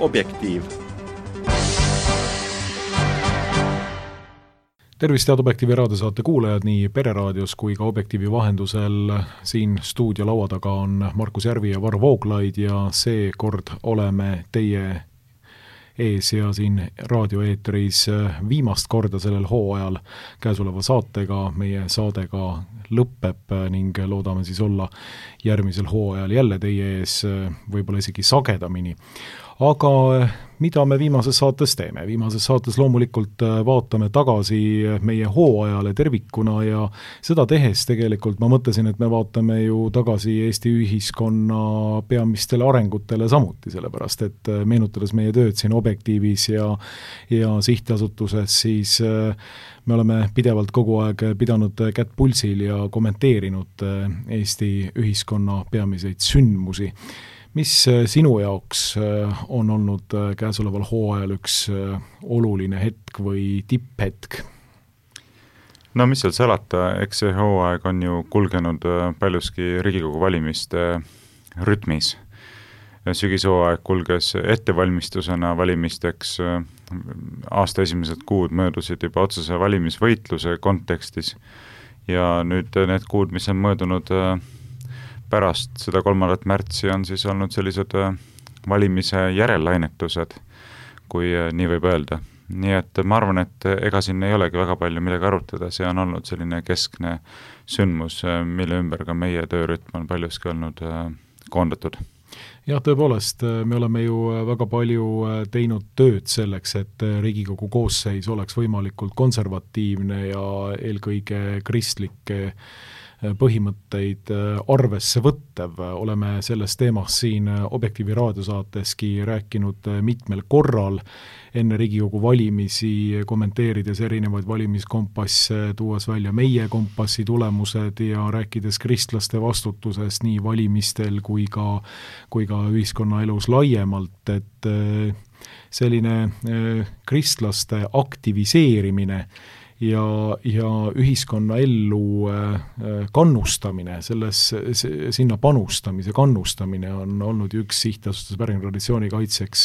Objektiiv. Tervist, head Objektiivi raadiosaate kuulajad nii Pereraadios kui ka Objektiivi vahendusel. Siin stuudio laua taga on Markus Järvi ja Varro Vooglaid ja seekord oleme teie ees ja siin raadioeetris viimast korda sellel hooajal käesoleva saatega. Meie saadega lõpeb ning loodame siis olla järgmisel hooajal jälle teie ees, võib-olla isegi sagedamini. Aga mida me viimases saates teeme? Viimases saates loomulikult vaatame tagasi meie hooajale tervikuna ja seda tehes tegelikult ma mõtlesin, et me vaatame ju tagasi Eesti ühiskonna peamistele arengutele samuti, sellepärast et meenutades meie tööd siin Objektiivis ja sihtasutuses, siis me oleme pidevalt kogu aeg pidanud kätt pulsil ja kommenteerinud Eesti ühiskonna peamiseid sündmusi. Mis sinu jaoks on olnud käesoleval hooajal üks oluline hetk või tipphetk? No mis seal salata, eks see hooaeg on ju kulgenud paljuski Riigikogu valimiste rütmis. Sügishooaeg kulges ettevalmistusena valimisteks, aasta esimesed kuud möödusid juba otsese valimisvõitluse kontekstis ja nüüd need kuud, mis on möödunud pärast seda 3. märtsi on siis olnud sellised valimise järellainetused, kui nii võib öelda. Nii et ma arvan, et ega siin ei olegi väga palju midagi arutada, see on olnud selline keskne sündmus, mille ümber ka meie töörütm on paljuski olnud koondatud. Jah, tõepoolest, me oleme ju väga palju teinud tööd selleks, et Riigikogu koosseis oleks võimalikult konservatiivne ja eelkõige kristlikke põhimõtteid arvesse võttev. Oleme selles teemas siin Objektiivi raadiosaateski rääkinud mitmel korral enne Riigikogu valimisi, kommenteerides erinevaid valimiskompasse, tuues välja meie kompassi tulemused ja rääkides kristlaste vastutusest nii valimistel kui ka ühiskonnaelus laiemalt, et selline kristlaste aktiviseerimine ja ühiskonna ellu kannustamine, sinna panustamise kannustamine on olnud üks sihtasutus pärintraditsiooni kaitseks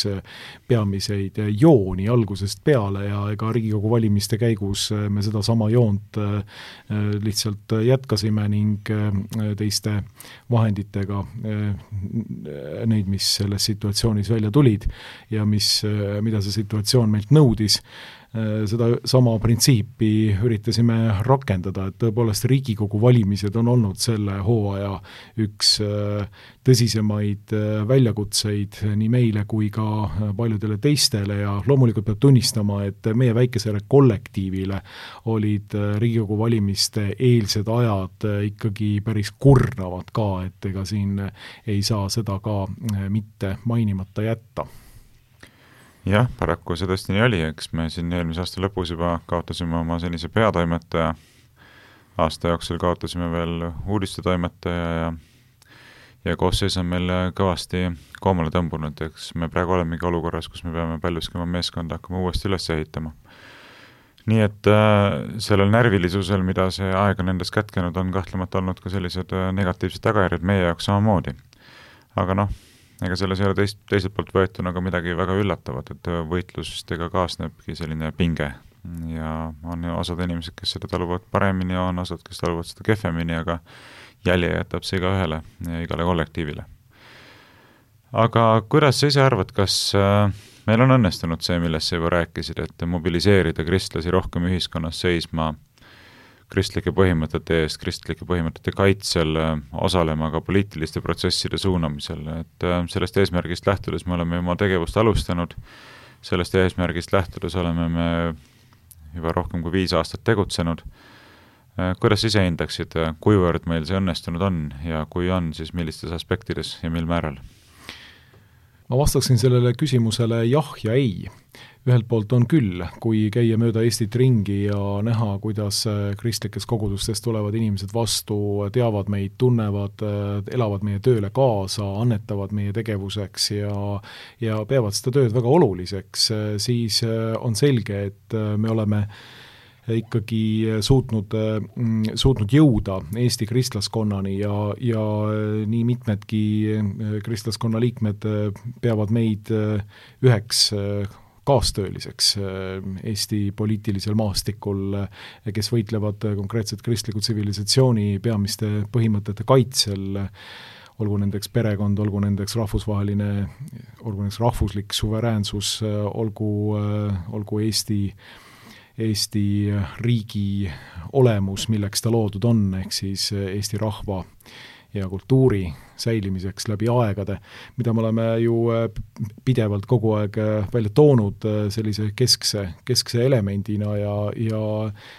peamiseid jooni algusest peale ja ega Riigikogu valimiste käigus me seda sama joont lihtsalt jätkasime ning teiste vahenditega neid, mis selles situatsioonis välja tulid ja mida see situatsioon meilt nõudis. Seda sama printsiipi üritasime rakendada, et tõepoolest Riigikogu valimised on olnud selle hooaja üks tõsisemaid väljakutseid nii meile kui ka paljudele teistele ja loomulikult peab tunnistama, et meie väikesele kollektiivile olid Riigikogu valimiste eelsed ajad ikkagi päris kurnavad ka, et ega siin ei saa seda ka mitte mainimata jätta. Jah, paraku see tõesti nii oli, eks me siin eelmise aasta lõpus juba kaotasime oma senise peatoimetaja, aasta jooksul kaotasime veel uudistetoimetaja ja koosseis on meil kõvasti koomale tõmbunud, eks me praegu olemegi olukorras, kus me peame paljuski oma meeskonda hakkama uuesti üles ehitama. Nii et sellel närvilisusel, mida see aeg on endas kätkenud, on kahtlemata olnud ka sellised negatiivsed tagajärjed meie jaoks samamoodi. Aga ega selles ei ole teiselt poolt võetuna ka midagi väga üllatavat, et võitlustega kaasnebki selline pinge ja on osad inimesed, kes seda taluvad paremini ja on osad, kes taluvad seda kehvemini, aga jälje jätab see ühele ja igale kollektiivile. Aga kuidas sa ise arvad, kas meil on õnnestunud see, millest sa juba rääkisid, et mobiliseerida kristlasi rohkem ühiskonnas seisma kristlike põhimõtete eest, kristlike põhimõtete kaitsel, osalema ka poliitiliste protsesside suunamisel, et sellest eesmärgist lähtudes me oleme oma tegevust alustanud, sellest eesmärgist lähtudes oleme me juba rohkem kui 5 aastat tegutsenud. Kuidas ise hindaksid, kuivõrd meil see õnnestunud on ja kui on, siis millistes aspektides ja mil määral? Ma vastaksin sellele küsimusele jah ja ei. Ühelt poolt on küll, kui käia mööda Eestit ringi ja näha, kuidas kristlikes kogudustes tulevad inimesed vastu, teavad meid, tunnevad, elavad meie tööle kaasa, annetavad meie tegevuseks ja peavad seda tööd väga oluliseks, siis on selge, et me oleme ikkagi suutnud jõuda Eesti kristlaskonnani ja nii mitmedki kristlaskonna liikmed peavad meid üheks kaastööliseks Eesti poliitilisel maastikul, kes võitlevad konkreetselt kristliku tsivilisatsiooni peamiste põhimõtete kaitsel, olgu nendeks perekond, olgu nendeks rahvusvaheline, olgu nendeks rahvuslik suveräänsus, olgu Eesti riigi olemus, milleks ta loodud on, ehk siis Eesti rahva ja kultuuri säilimiseks läbi aegade, mida me oleme ju pidevalt kogu aeg välja toonud sellise keskse elemendina ja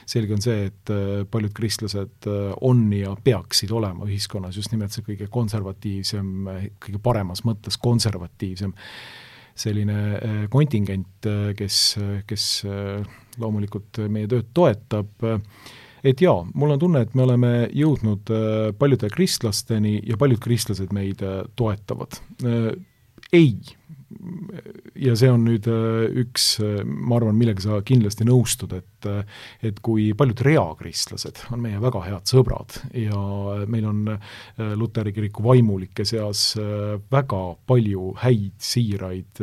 selge on see, et paljud kristlased on ja peaksid olema ühiskonnas just nimelt see kõige konservatiivsem, kõige paremas mõttes konservatiivsem selline kontingent, kes loomulikult meie tööd toetab. Et jaa, mul on tunne, et me oleme jõudnud paljude kristlasteni ja paljud kristlased meid toetavad. Ei. Ja see on nüüd üks, ma arvan, millega sa kindlasti nõustud, et kui paljud reakristlased on meie väga head sõbrad ja meil on Luteri kiriku vaimulike seas väga palju häid, siiraid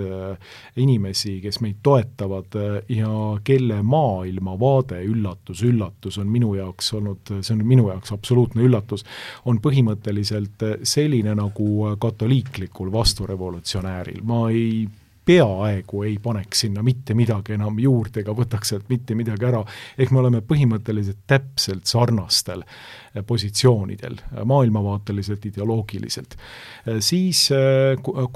inimesi, kes meid toetavad ja kelle maailmavaade üllatus on minu jaoks olnud, see on minu jaoks absoluutne üllatus, on põhimõtteliselt selline nagu katoliiklikul vasturevolutsionääril. Ma peaaegu ei paneks sinna mitte midagi enam juurde ega võtaks sealt mitte midagi ära, ehk me oleme põhimõtteliselt täpselt sarnastel positsioonidel, maailmavaateliselt, ideoloogiliselt. Siis,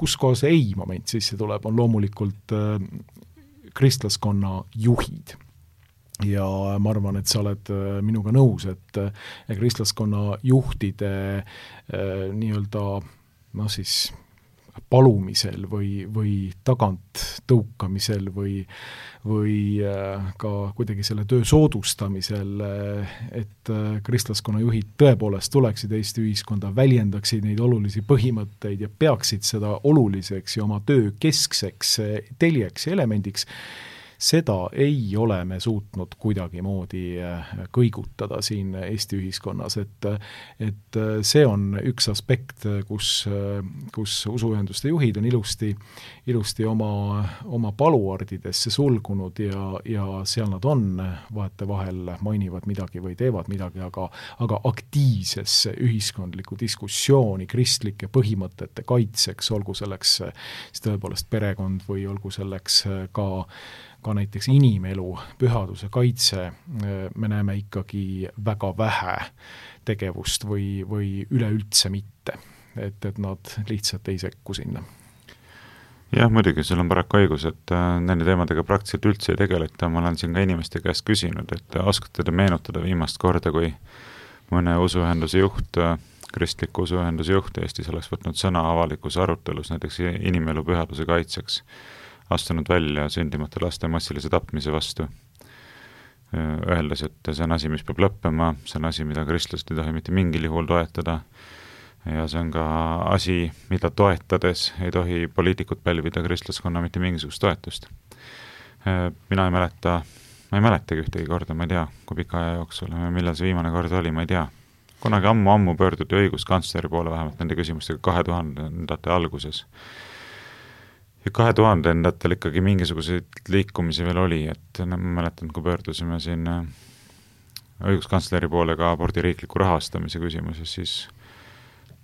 kus kohas ei moment sisse tuleb, on loomulikult kristlaskonna juhid. Ja ma arvan, et sa oled minuga nõus, et kristlaskonna juhtide nii-öelda palumisel või tagant tõukamisel või ka kuidagi selle töö soodustamisel, et kristlaskonna juhid tõepoolest tuleksid Eesti ühiskonda, väljendaksid neid olulisi põhimõtteid ja peaksid seda oluliseks ja oma töö keskseks teljeks ja elemendiks, seda ei ole me suutnud kuidagimoodi kõigutada siin Eesti ühiskonnas, et see on üks aspekt, kus usuühenduste juhid on ilusti oma paluardidesse sulgunud ja seal nad on, vahetevahel mainivad midagi või teevad midagi, aga aktiivsesse ühiskondlikku diskussiooni kristlike põhimõtete kaitseks, olgu selleks siis tõepoolest perekond või olgu selleks ka näiteks inimelu, pühaduse kaitse, me näeme ikkagi väga vähe tegevust või üleüldse mitte, et nad lihtsalt ei sekku sinna. Jah, muidugi, sul on paraku õigus, et nende teemadega praktiliselt üldse ei tegeleta, ma olen siin ka inimeste käest küsinud, et oskate te meenutada viimast korda, kui mõne usuühenduse juht, kristliku usuühenduse juht Eestis oleks võtnud sõna avalikus arutelus näiteks inimelu pühaduse kaitseks, astunud välja sündimata laste massilise tapmise vastu, öeldes, et see on asi, mis peab lõppema, see on asi, mida kristlased ei tohi mitte mingil juhul toetada ja see on ka asi, mida toetades ei tohi poliitikud pälvida kristlaskonna mitte mingisugust toetust. Mina ei mäletagi ühtegi korda, ma ei tea, kui pika aja jooksul, millal see viimane kord oli, ma ei tea. Kunagi ammu pöörduti õiguskantsleri poole vähemalt nende küsimustega 2000-ndate alguses. Ja 2000-ndatel ikkagi mingisuguseid liikumisi veel oli, et ma mäletan, kui pöördusime siin õiguskantsleri poole ka abordi riikliku rahastamise küsimuses, siis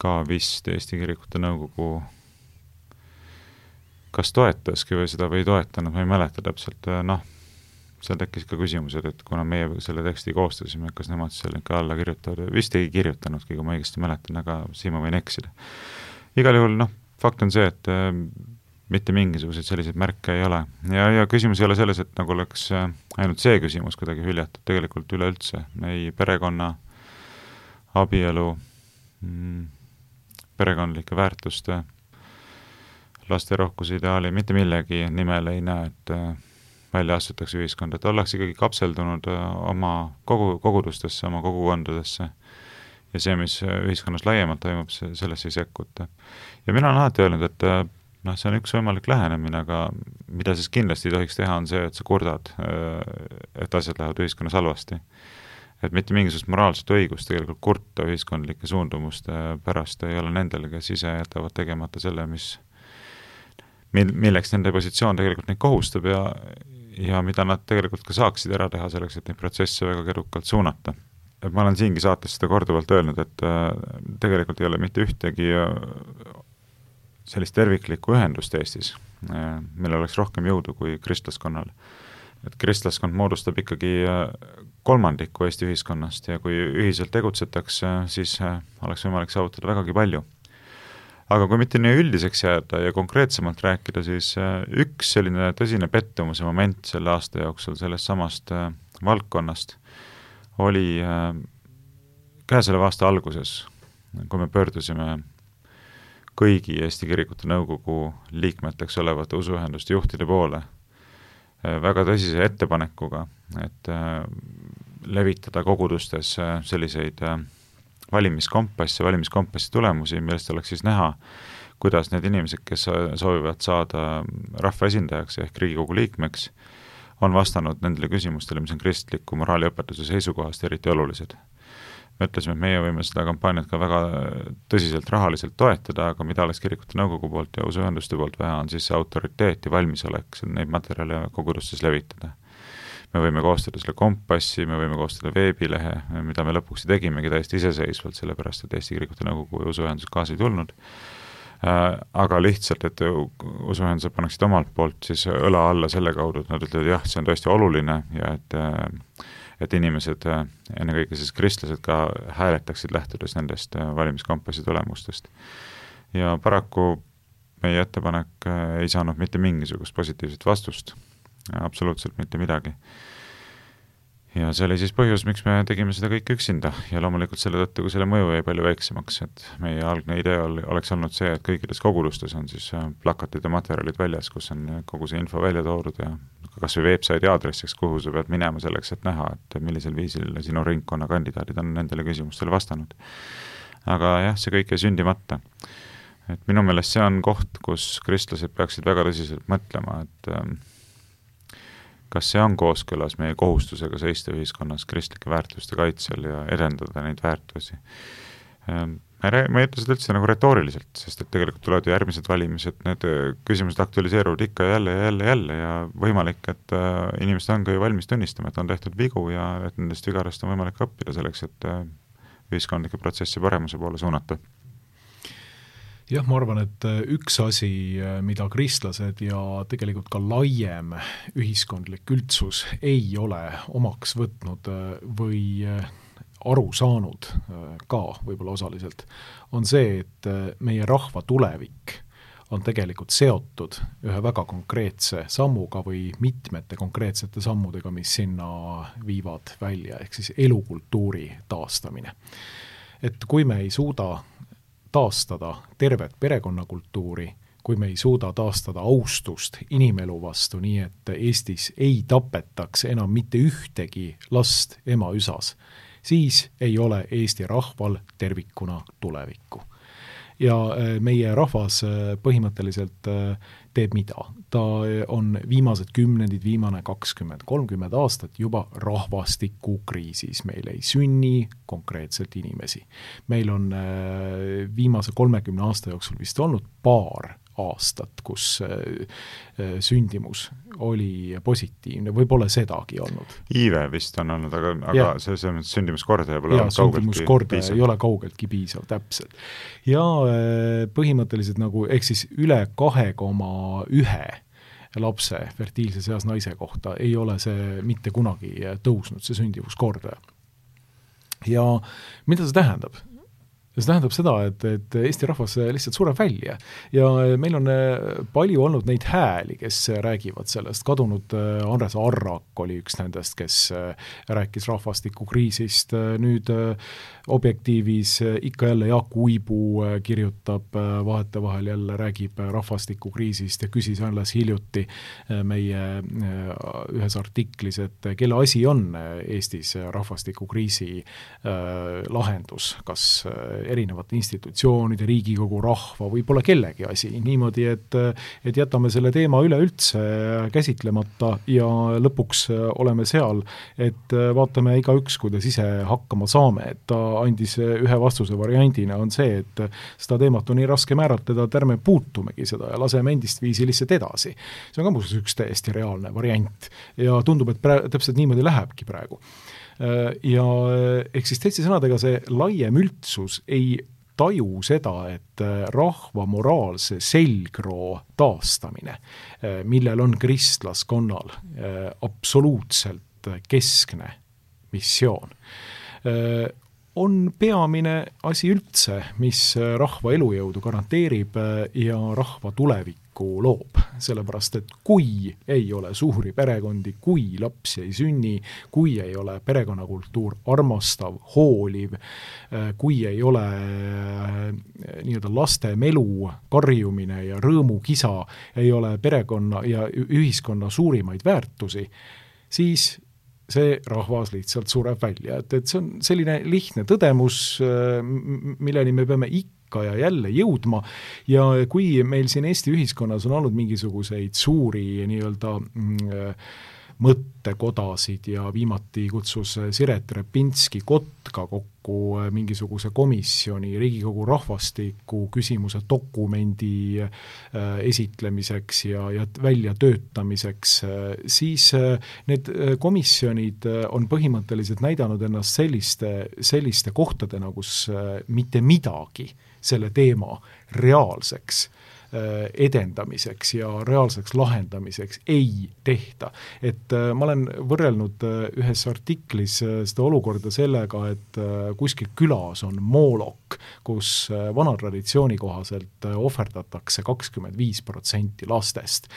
ka vist Eesti Kirikute Nõukogu kas toetaski või seda või ei toetanud, ma ei mäleta täpselt, seal tekkis ka küsimused, et kuna meie selle teksti koostasime, kas nemad selle ikka alla kirjutavad, vist ei kirjutanudki, kui ma õigesti mäletan, aga siin ma võin eksida. Igal juhul, fakt on see, et mitte mingisuguseid selliseid märke ei ole. Ja küsimus ei ole selles, et nagu oleks ainult see küsimus kuidagi hüljatud, tegelikult üleüldse. Ei perekonna, abielu, perekondlike väärtuste, laste rohkuse ideaali, mitte millegi nimel ei näe, et välja astutakse ühiskonda, et ollakse ikkagi kapseldunud oma kogudustesse, oma kogukondadesse ja see, mis ühiskonnas laiemalt toimub, sellesse ei sekkuta. Ja mina olen alati öelnud, et see on üks võimalik lähenemine, aga mida siis kindlasti ei tohiks teha, on see, et sa kurdad, et asjad lähevad ühiskonnas halvasti. Et mitte mingisugust moraalset õigust tegelikult kurta ühiskondlike suundumuste pärast ei ole nendel, kes ise jätavad tegemata selle, milleks nende positsioon tegelikult neid kohustab ja mida nad tegelikult ka saaksid ära teha selleks, et neid protsesse väga kedukalt suunata. Et ma olen siingi saates seda korduvalt öelnud, et tegelikult ei ole mitte ühtegi sellist terviklikku ühendust Eestis, millel oleks rohkem jõudu kui kristlaskonnal. Et kristlaskond moodustab ikkagi kolmandiku Eesti ühiskonnast ja kui ühiselt tegutsetakse, siis oleks võimalik saavutada vägagi palju. Aga kui mitte nii üldiseks jääda ja konkreetsemalt rääkida, siis üks selline tõsine pettumuse moment selle aasta jooksul sellest samast valdkonnast oli käesoleva aasta alguses, kui me pöördusime kõigi Eesti Kirikute Nõukogu liikmeteks olevate usuühenduste juhtide poole väga tõsise ettepanekuga, et levitada kogudustes selliseid valimiskompassi tulemusi, millest oleks siis näha, kuidas need inimesed, kes soovivad saada rahvaesindajaks ehk Riigikogu liikmeks, on vastanud nendele küsimustele, mis on kristliku moraaliõpetuse seisukohast eriti olulised. Me ütlesime, et meie võime seda kampaaniat ka väga tõsiselt rahaliselt toetada, aga mida oleks Kirikute Nõukogu poolt ja usuühenduste poolt vaja, on siis see autoriteet ja valmisolek neid materjale kogudustes levitada. Me võime koostada selle kompassi, me võime koostada veebilehe, mida me lõpuks tegimegi täiesti iseseisvalt, sellepärast, et Eesti Kirikute Nõukogu ja usuühendused kaasa ei tulnud. Aga lihtsalt, et usuühendused paneksid omalt poolt siis õla alla selle kaudu, et nad ütlevad, jah, see on tõesti oluline ja et inimesed, ennekõike siis kristlased ka hääletaksid lähtudes nendest valimiskompassi tulemustest. Ja paraku meie ettepanek ei saanud mitte mingisugust positiivset vastust, absoluutselt mitte midagi. Ja see oli siis põhjus, miks me tegime seda kõik üksinda ja loomulikult selle tõttu, kui selle mõju jäi palju väiksemaks, et meie algne idee oleks olnud see, et kõikides kogudustes on siis plakatid ja materjalid väljas, kus on kogu see info välja toodud ja kas või websaidi aadressiks, kuhu sa pead minema selleks, et näha, et millisel viisil sinu ringkonna kandidaadid on nendele küsimustele vastanud. Aga jah, see kõik jäi sündimata. Et minu meelest see on koht, kus kristlased peaksid väga tõsiselt mõtlema, et kas see on kooskõlas meie kohustusega seista ühiskonnas kristlike väärtuste kaitsel ja edendada neid väärtusi. Ma ei ütle seda üldse nagu retooriliselt, sest et tegelikult tulevad järgmised valimised, need küsimused aktualiseeruvad ikka jälle ja võimalik, et inimesed on ka ju valmis tunnistama, et on tehtud vigu ja et nendest vigarast on võimalik õppida selleks, et ühiskondlikke protsessi paremuse poole suunata. Jah, ma arvan, et üks asi, mida kristlased ja tegelikult ka laiem ühiskondlik üldsus ei ole omaks võtnud või aru saanud ka võib-olla osaliselt, on see, et meie rahva tulevik on tegelikult seotud ühe väga konkreetse sammuga või mitmete konkreetsete sammudega, mis sinna viivad välja, ehk siis elukultuuri taastamine. Et kui me ei suuda taastada tervet perekonnakultuuri, kui me ei suuda taastada austust inimelu vastu, nii et Eestis ei tapetaks enam mitte ühtegi last ema üsas, siis ei ole Eesti rahval tervikuna tulevikku. Ja meie rahvas põhimõtteliselt teeb mida? Ta on viimased kümnendid, viimane 20-30 aastat juba rahvastikukriisis. Meil ei sünni konkreetselt inimesi. Meil on viimase 30 aasta jooksul vist olnud paar aastat, kus sündimus oli positiivne, või pole sedagi olnud. Iive vist on olnud, aga see sündimuskordaja pole olnud kaugeltki piisav. Ei ole kaugeltki piisav, täpselt. Ja põhimõtteliselt nagu, ehk siis üle 2,1 lapse fertiilses eas naise kohta ei ole see mitte kunagi tõusnud, see sündivuskordaja. Ja mida see tähendab? See tähendab seda, et Eesti rahvas lihtsalt sureb välja ja meil on palju olnud neid hääli, kes räägivad sellest. Kadunud Andres Arrak oli üks nendest, kes rääkis rahvastikukriisist. Nüüd Objektiivis ikka jälle Jaak Uibu kirjutab vahetevahel jälle, räägib rahvastikukriisist ja küsis alles hiljuti meie ühes artiklis, et kelle asi on Eestis rahvastikukriisi lahendus, kas erinevate institutsioonide, Riigikogu, rahva, võib-olla kellegi asi, niimoodi, et jätame selle teema üleüldse käsitlemata ja lõpuks oleme seal, et vaatame igaüks, kuidas ise hakkama saame, et ta andis ühe vastuse variandina, on see, et seda teemat on nii raske määratleda, et ärme puutumegi seda ja laseme endist viisi lihtsalt edasi. See on ka muuseas üks täiesti reaalne variant ja tundub, et täpselt niimoodi lähebki praegu. Ja ehk siis teiste sõnadega see laiem üldsus ei taju seda, et rahva moraalse selgroo taastamine, millel on kristlaskonnal absoluutselt keskne missioon, on peamine asi üldse, mis rahva elujõudu garanteerib ja rahva tulevikku loob, sellepärast et kui ei ole suuri perekondi, kui lapsi ei sünni, kui ei ole perekonnakultuur armastav, hooliv, kui ei ole nii-öelda laste melu, karjumine ja rõõmukisa, ei ole perekonna ja ühiskonna suurimaid väärtusi, siis see rahvas lihtsalt sureb välja, et see on selline lihtne tõdemus, milleni me peame ikka ja jälle jõudma ja kui meil siin Eesti ühiskonnas on olnud mingisuguseid suuri nii-öelda mõttekodasid ja viimati kutsus Siret Repinski Kotka kokku mingisuguse komisjoni Riigikogu rahvastiku küsimuse dokumendi esitlemiseks ja väljatöötamiseks, siis need komisjonid on põhimõtteliselt näidanud ennast selliste kohtadena, kus mitte midagi selle teema reaalseks edendamiseks ja reaalseks lahendamiseks ei tehta. Et ma olen võrrelnud ühes artiklis seda olukorda sellega, et kuskil külas on moolok, kus vana traditsiooni kohaselt ohverdatakse 25% lastest.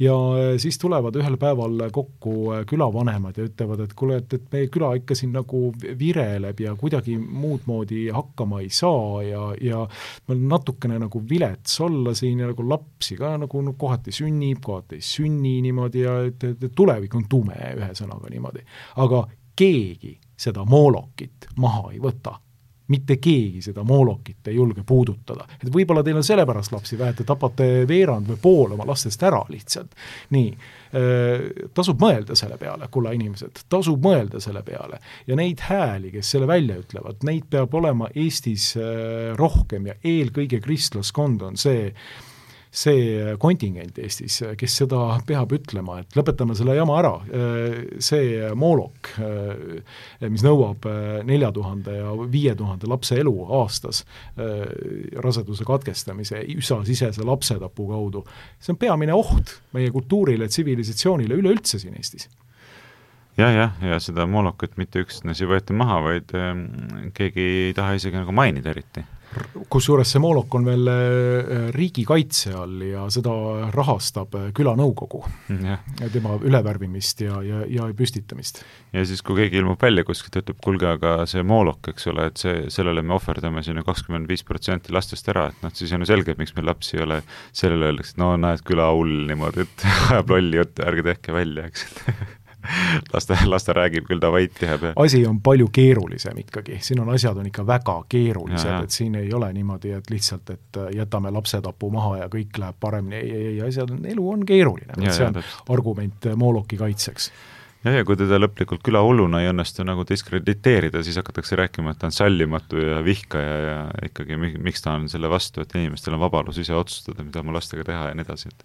Ja siis tulevad ühel päeval kokku külavanemad ja ütlevad, et kuule, et meie küla ikka siin nagu vireleb ja kuidagi muud moodi hakkama ei saa ja natukene nagu vilets olla siin ja nagu lapsi ka nagu kohati sünnib, kohati ei sünni niimoodi ja tulevik on tume ühesõnaga niimoodi. Aga keegi seda moolokit maha ei võta. Mitte keegi seda moolokit ei julge puudutada. Et võib-olla teil on sellepärast lapsi vähe, et te tapate veerand või pool oma lastest ära lihtsalt. Nii, tasub mõelda selle peale, kulla inimesed, tasub mõelda selle peale. Ja neid hääli, kes selle välja ütlevad, neid peab olema Eestis rohkem ja eelkõige kristlaskond on see kontingent Eestis, kes seda peab ütlema, et lõpetame selle jama ära. See moolok, mis nõuab 4000 ja 5000 lapse elu aastas raseduse katkestamise, üsasisese lapsetapu kaudu, see on peamine oht meie kultuurile, tsivilisatsioonile üleüldse siin Eestis. Ja seda moolokut mitte üksnes ei võeta maha, vaid keegi ei taha isegi nagu mainida eriti. Kusjuures see moolok on veel riigikaitse all ja seda rahastab külanõukogu ja tema ülevärvimist ja püstitamist. Ja siis, kui keegi ilmub välja kuskilt, ütleb, kulge, aga see moolok, eks ole, et sellele me ohverdame sinna 25% lastest ära, et siis on ju selge, et miks meil lapsi ei ole, sellele öeldakse, et no näed, küla hull niimoodi, et ajab lolli jutt, ärge tehke välja, eks laste räägib küll ta vait jääb. Asi on palju keerulisem ikkagi, siin on asjad on ikka väga keerulised, et siin ei ole niimoodi, et lihtsalt, et jätame lapsetapu maha ja kõik läheb paremini, elu on keeruline, see on argument mooloki kaitseks. Ja kui teda lõplikult külahulluna ei õnnestu nagu diskrediteerida, siis hakatakse rääkima, et ta on sallimatu ja vihkaja ja ikkagi miks ta on selle vastu, et inimestel on vabadus ise otsustada, mida oma lastega teha ja nii edasi.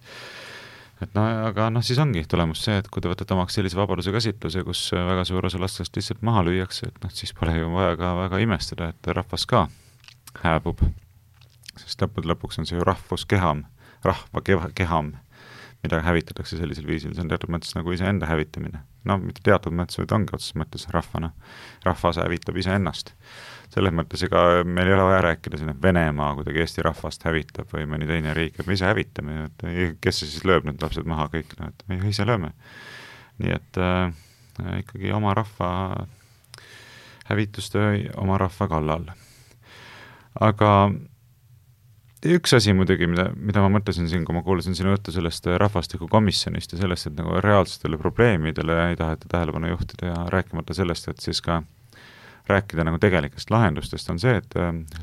Aga siis ongi tulemus see, et kui te võtate omaks sellise vabaduse käsitluse, kus väga suur osa lastest lihtsalt maha lüüakse, et siis pole ju vaja ka väga imestada, et rahvas ka hääbub. Sest lõpuks on see ju rahvuskeham, rahva keham, mida hävitatakse sellisel viisil, see on teatud mõttes nagu iseenda hävitamine. Mitte teatud mõttes, vaid ongi otseses mõttes rahvana. Rahvas hävitab iseennast. Selles mõttes ega meil ei ole vaja rääkida siin, et Venemaa kuidagi Eesti rahvast hävitab või mõni teine riik, et me ise hävitame, et kes see siis lööb need lapsed maha kõik, et me ise lööme. Nii et ikkagi oma rahva hävitustöö oma rahva kallal. Aga üks asi muidugi, mida ma mõtlesin siin, kui ma kuulasin sinu juttu sellest rahvastikukomisjonist ja sellest, et nagu reaalsetele probleemidele ei taheta tähelepanu juhtida ja rääkimata sellest, et siis ka rääkida nagu tegelikest lahendustest, on see, et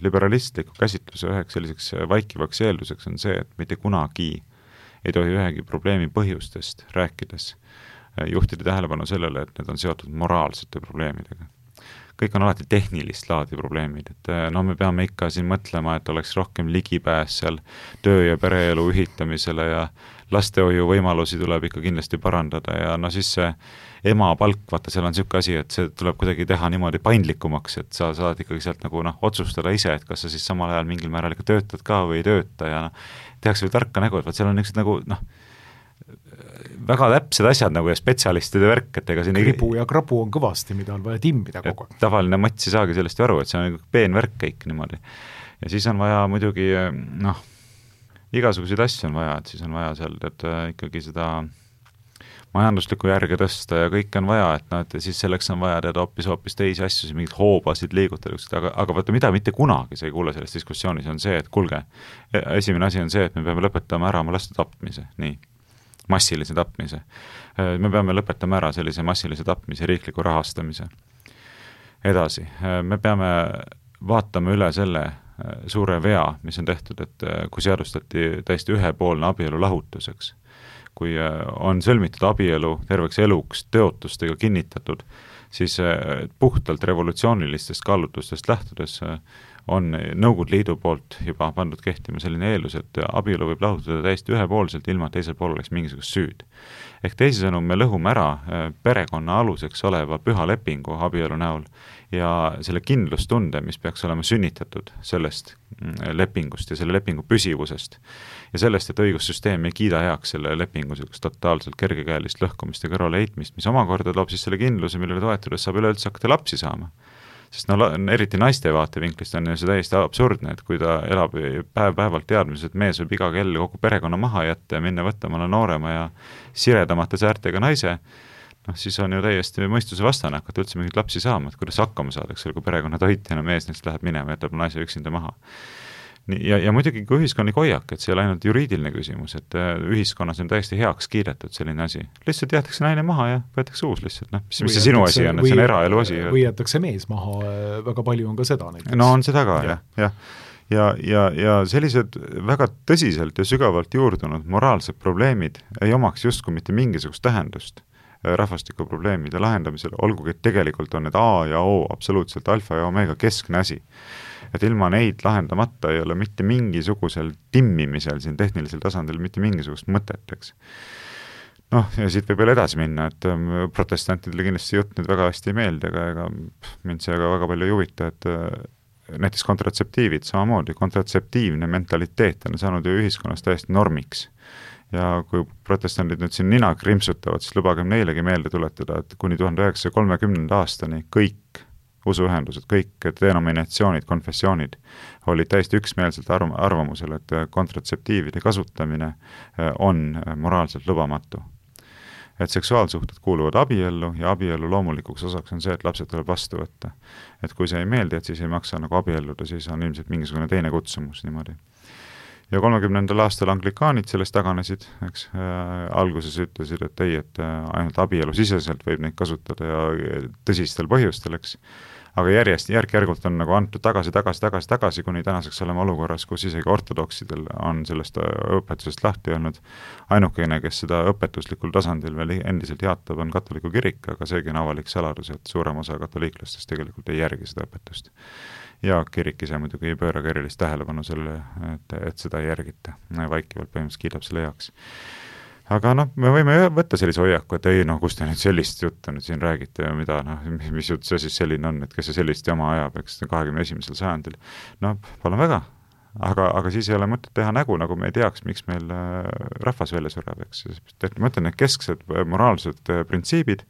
liberalistliku käsitluse üheks selliseks vaikivaks eelduseks on see, et mitte kunagi ei tohi ühegi probleemi põhjustest rääkides juhtida tähelepanu sellele, et need on seotud moraalsete probleemidega. Kõik on alati tehnilist laadi probleemid, et no me peame ikka siin mõtlema, et oleks rohkem ligipääs seal töö- ja pereelu ühitamisele ja lastehoiu võimalusi tuleb ikka kindlasti parandada ja no siis see ema palk, vaata seal on niisugune asi, et see tuleb kuidagi teha niimoodi paindlikumaks, et sa saad ikkagi sealt nagu otsustada ise, et kas sa siis samal ajal mingil määral ikka töötad ka või ei tööta ja tehakse veel tarka nägu, et vaat seal on niisugused väga täpsed asjad nagu ja spetsialistide värk, et ega siin kribu ja krabu on kõvasti, mida on vaja timmida kogu aeg. Tavaline mats ei saagi sellest aru, et see on peen värk kõik niimoodi. Ja siis on vaja muidugi, igasuguseid asju on vaja, et siis on vaja seal, et ikkagi seda majanduslikku järge tõsta ja kõik on vaja, et siis selleks on vaja teada hoopis teisi asju, mingid hoobasid liigutada, aga vaata, mida mitte kunagi sa ei kuule selles diskussioonis, on see, et kuulge, esimene asi on see, et me peame lõpetama ära oma laste tapmise, nii. Massilise tapmise. Me peame lõpetama ära sellise massilise tapmise riikliku rahastamise. Edasi, me peame vaatama üle selle suure vea, mis on tehtud, et kui seadustati täiesti ühepoolne abielu lahutuseks, kui on sõlmitud abielu terveks eluks teotustega kinnitatud, siis puhtalt revolutsioonilistest kaalutlustest lähtudes on Nõukogude Liidu poolt juba pandud kehtima selline eeldus, et abielu võib lahutada täiesti ühepoolselt, ilma teisel pool oleks mingisugust süüd. Ehk teisisõnu, me lõhume ära perekonna aluseks oleva püha lepingu abielu näol ja selle kindlustunde, mis peaks olema sünnitatud sellest lepingust ja selle lepingu püsivusest ja sellest, et õigussüsteem ei kiida heaks selle lepingu totaalselt kergekäelist lõhkumist ja kõrvaleheitmist, mis omakorda loob siis selle kindluse, millele toetudes saab üleüldse hakata lapsi saama. Sest eriti naiste vaatevinklist on ju see täiesti absurdne, et kui ta elab päev-päevalt teadmises, et mees võib iga kell kogu perekonna maha jätta ja minna võtta mõne noorema ja siredamate säärtega naise, siis on ju täiesti mõistuse vastane hakata üldse mingit lapsi saama, et kuidas hakkama saadakse, kui perekonna toitjana mees neist läheb minema ja jätab naise üksinda maha. Ja muidugi kui ühiskondlik hoiak, et see ei ole ainult juriidiline küsimus, et ühiskonnas on täiesti heaks kiidetud selline asi. Lihtsalt jäetakse naine maha ja võetakse uus lihtsalt, mis see sinu asi on, et see on eraelu asi. Või jätakse mees maha, väga palju on ka seda näiteks. No on seda ka, jah. Ja sellised väga tõsiselt ja sügavalt juurdunud moraalsed probleemid ei omaks justkui mitte mingisugust tähendust rahvastikuprobleemide lahendamisel, olgugi et tegelikult on need A ja O absoluutselt alfa ja omega keskne asi. Et ilma neid lahendamata ei ole mitte mingisugusel timmimisel siin tehnilisel tasandil mitte mingisugust mõtet, eks. Ja siit võib veel edasi minna, et protestantidele kindlasti jutt nüüd väga hästi ei meeldi, aga mind see väga palju ei huvita, et näiteks kontratseptiivid samamoodi, kontratseptiivne mentaliteet on saanud ju ühiskonnas täiesti normiks. Ja kui protestandid nüüd siin nina krimpsutavad, siis lubagem neilegi meelde tuletada, et kuni 1930. aastani kõik usuühendused, kõik denominatsioonid, konfessioonid olid täiesti üksmeelselt arvamusel, et kontratseptiivide kasutamine on moraalselt lubamatu. Et seksuaalsuhted kuuluvad abiellu ja abiellu loomulikuks osaks on see, et lapsed tuleb vastu võtta. Et kui see ei meeldi, et siis ei maksa nagu abielluda, siis on ilmselt mingisugune teine kutsumus niimoodi. Ja 30. aastal anglikaanid sellest taganesid, eks, alguses ütlesid, et ei, et ainult abielu siseselt võib neid kasutada ja tõsistel põhjustel, eks. Aga järk-järgult on nagu antud tagasi, kuni tänaseks oleme olukorras, kus isegi ortodoksidel on sellest õpetusest lahti olnud. Ainukene, kes seda õpetuslikul tasandil veel endiselt jaatab, on katoliku kirik, aga seegi on avalik saladus, et suurem osa katoliiklastest tegelikult ei järgi seda õpetust. Ja kirik ise muidugi ei pööra erilist tähelepanu selle, et seda ei järgita. Vaikivalt põhimõtteliselt kiidab selle heaks. Aga me võime võtta sellise hoiaku, et ei, kus te nüüd sellist juttu nüüd siin räägite ja mida, mis jutt see siis selline on, et kes see sellist jama ajab, eks 21. sajandil. Palun väga, aga siis ei ole mõtet teha nägu, nagu me ei teaks, miks meil rahvas välja sureb, eks. Ma ütlen, need kesksed moraalsed printsiibid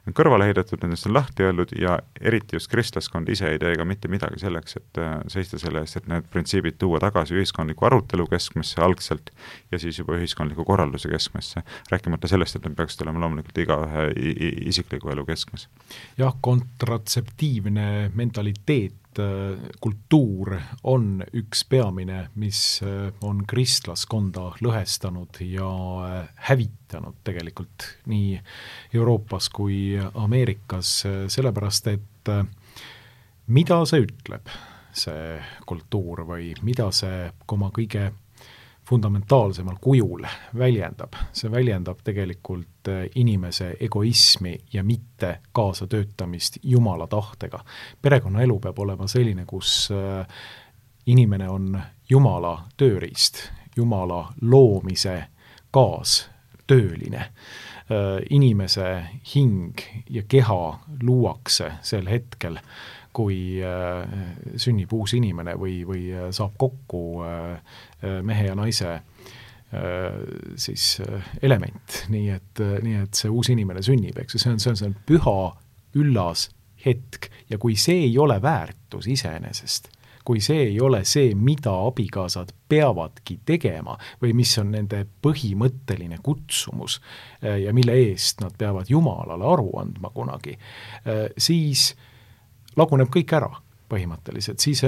on kõrvale heidetud, nendest on lahti öeldud ja eriti just kristlaskond ise ei tee ka mitte midagi selleks, et seista selle eest, et need printsiibid tuua tagasi ühiskondliku arutelu keskmesse algselt ja siis juba ühiskondliku korralduse keskmesse, rääkimata sellest, et need peaksid olema loomulikult igaühe isikliku elu keskmes. Jah, kontratseptiivne mentaliteet, kultuur on üks peamine, mis on kristlaskonda lõhestanud ja hävitanud tegelikult nii Euroopas kui Ameerikas, sellepärast et mida see ütleb, see kultuur, või mida see oma kõige fundamentaalsemal kujul väljendab? See väljendab tegelikult inimese egoismi ja mitte kaasatöötamist Jumala tahtega. Perekonnaelu peab olema selline, kus inimene on Jumala tööriist, Jumala loomise kaastööline. Inimese hing ja keha luuakse sel hetkel, kui sünnib uus inimene või saab kokku mehe ja naise siis element, nii et see uus inimene sünnib, eks see on püha, üllas hetk, ja kui see ei ole väärtus iseenesest, kui see ei ole see, mida abikaasad peavadki tegema või mis on nende põhimõtteline kutsumus ja mille eest nad peavad Jumalale aru andma kunagi, siis laguneb kõik ära põhimõtteliselt, siis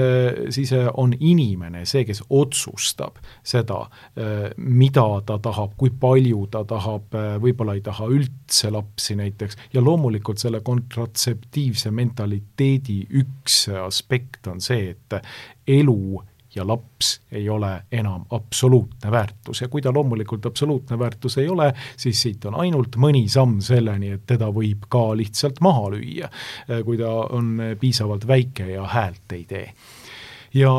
on inimene see, kes otsustab seda, mida ta tahab, kui palju ta tahab, võib-olla ei taha üldse lapsi näiteks, ja loomulikult selle kontratseptiivse mentaliteedi üks aspekt on see, et elu ja laps ei ole enam absoluutne väärtus, ja kui ta loomulikult absoluutne väärtus ei ole, siis siit on ainult mõni samm selleni, et teda võib ka lihtsalt maha lüüa, kui ta on piisavalt väike ja häält ei tee. Ja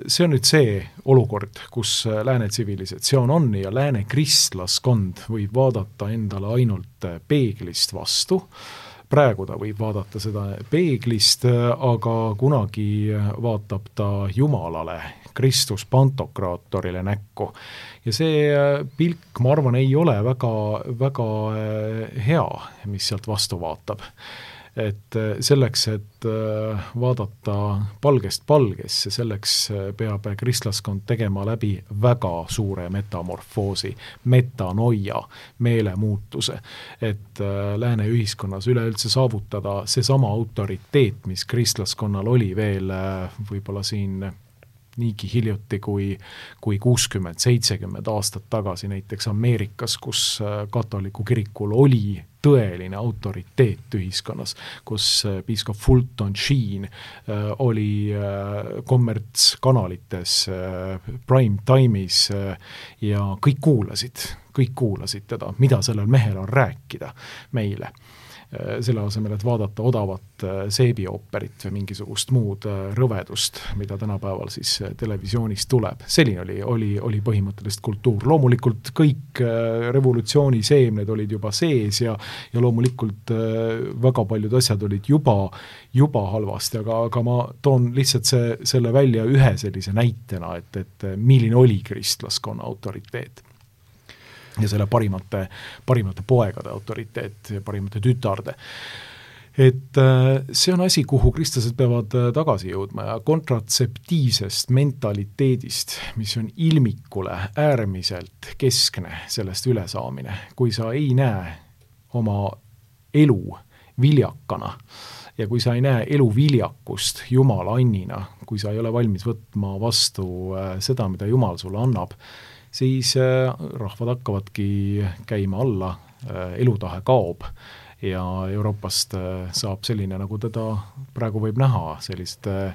see on nüüd see olukord, kus lääne tsivilisatsioon on ja lääne kristlaskond võib vaadata endale ainult peeglist vastu. Praegu ta võib vaadata seda peeglist, aga kunagi vaatab ta Jumalale, Kristus Pantokraatorile näkku. Ja see pilk, ma arvan, ei ole väga, väga hea, mis sealt vastu vaatab. Et selleks, et vaadata palgest palgesse, selleks peab kristlaskond tegema läbi väga suure metamorfoosi, metanoia, meelemuutuse, et lääne ühiskonnas üleüldse saavutada seesama autoriteet, mis kristlaskonnal oli veel võib-olla siin niigi hiljuti kui 60-70 aastat tagasi näiteks Ameerikas, kus katoliku kirikul oli tõeline autoriteet ühiskonnas, kus piiskop Fulton Sheen oli kommertskanalites, prime time'is ja kõik kuulasid teda, mida sellel mehel on rääkida meile. Selle asemel, et vaadata odavat seebiooperit või mingisugust muud rõvedust, mida tänapäeval siis televisioonis tuleb. Selline oli põhimõtteliselt kultuur. Loomulikult kõik revolutsiooni seemned olid juba sees ja loomulikult väga paljud asjad olid juba halvasti, aga ma toon lihtsalt selle välja ühe sellise näitena, et milline oli kristlaskonna autoriteet. Ja selle parimate poegade autoriteet, parimate tütarde. Et see on asi, kuhu kristlased peavad tagasi jõudma ja kontratseptiivsest mentaliteedist, mis on ilmikule äärmiselt keskne sellest ülesaamine. Kui sa ei näe oma elu viljakana ja kui sa ei näe elu viljakust Jumala annina, kui sa ei ole valmis võtma vastu seda, mida Jumal sulle annab, siis rahvad hakkavadki käima alla, elutahe kaob ja Euroopast saab selline, nagu teda praegu võib näha, selliste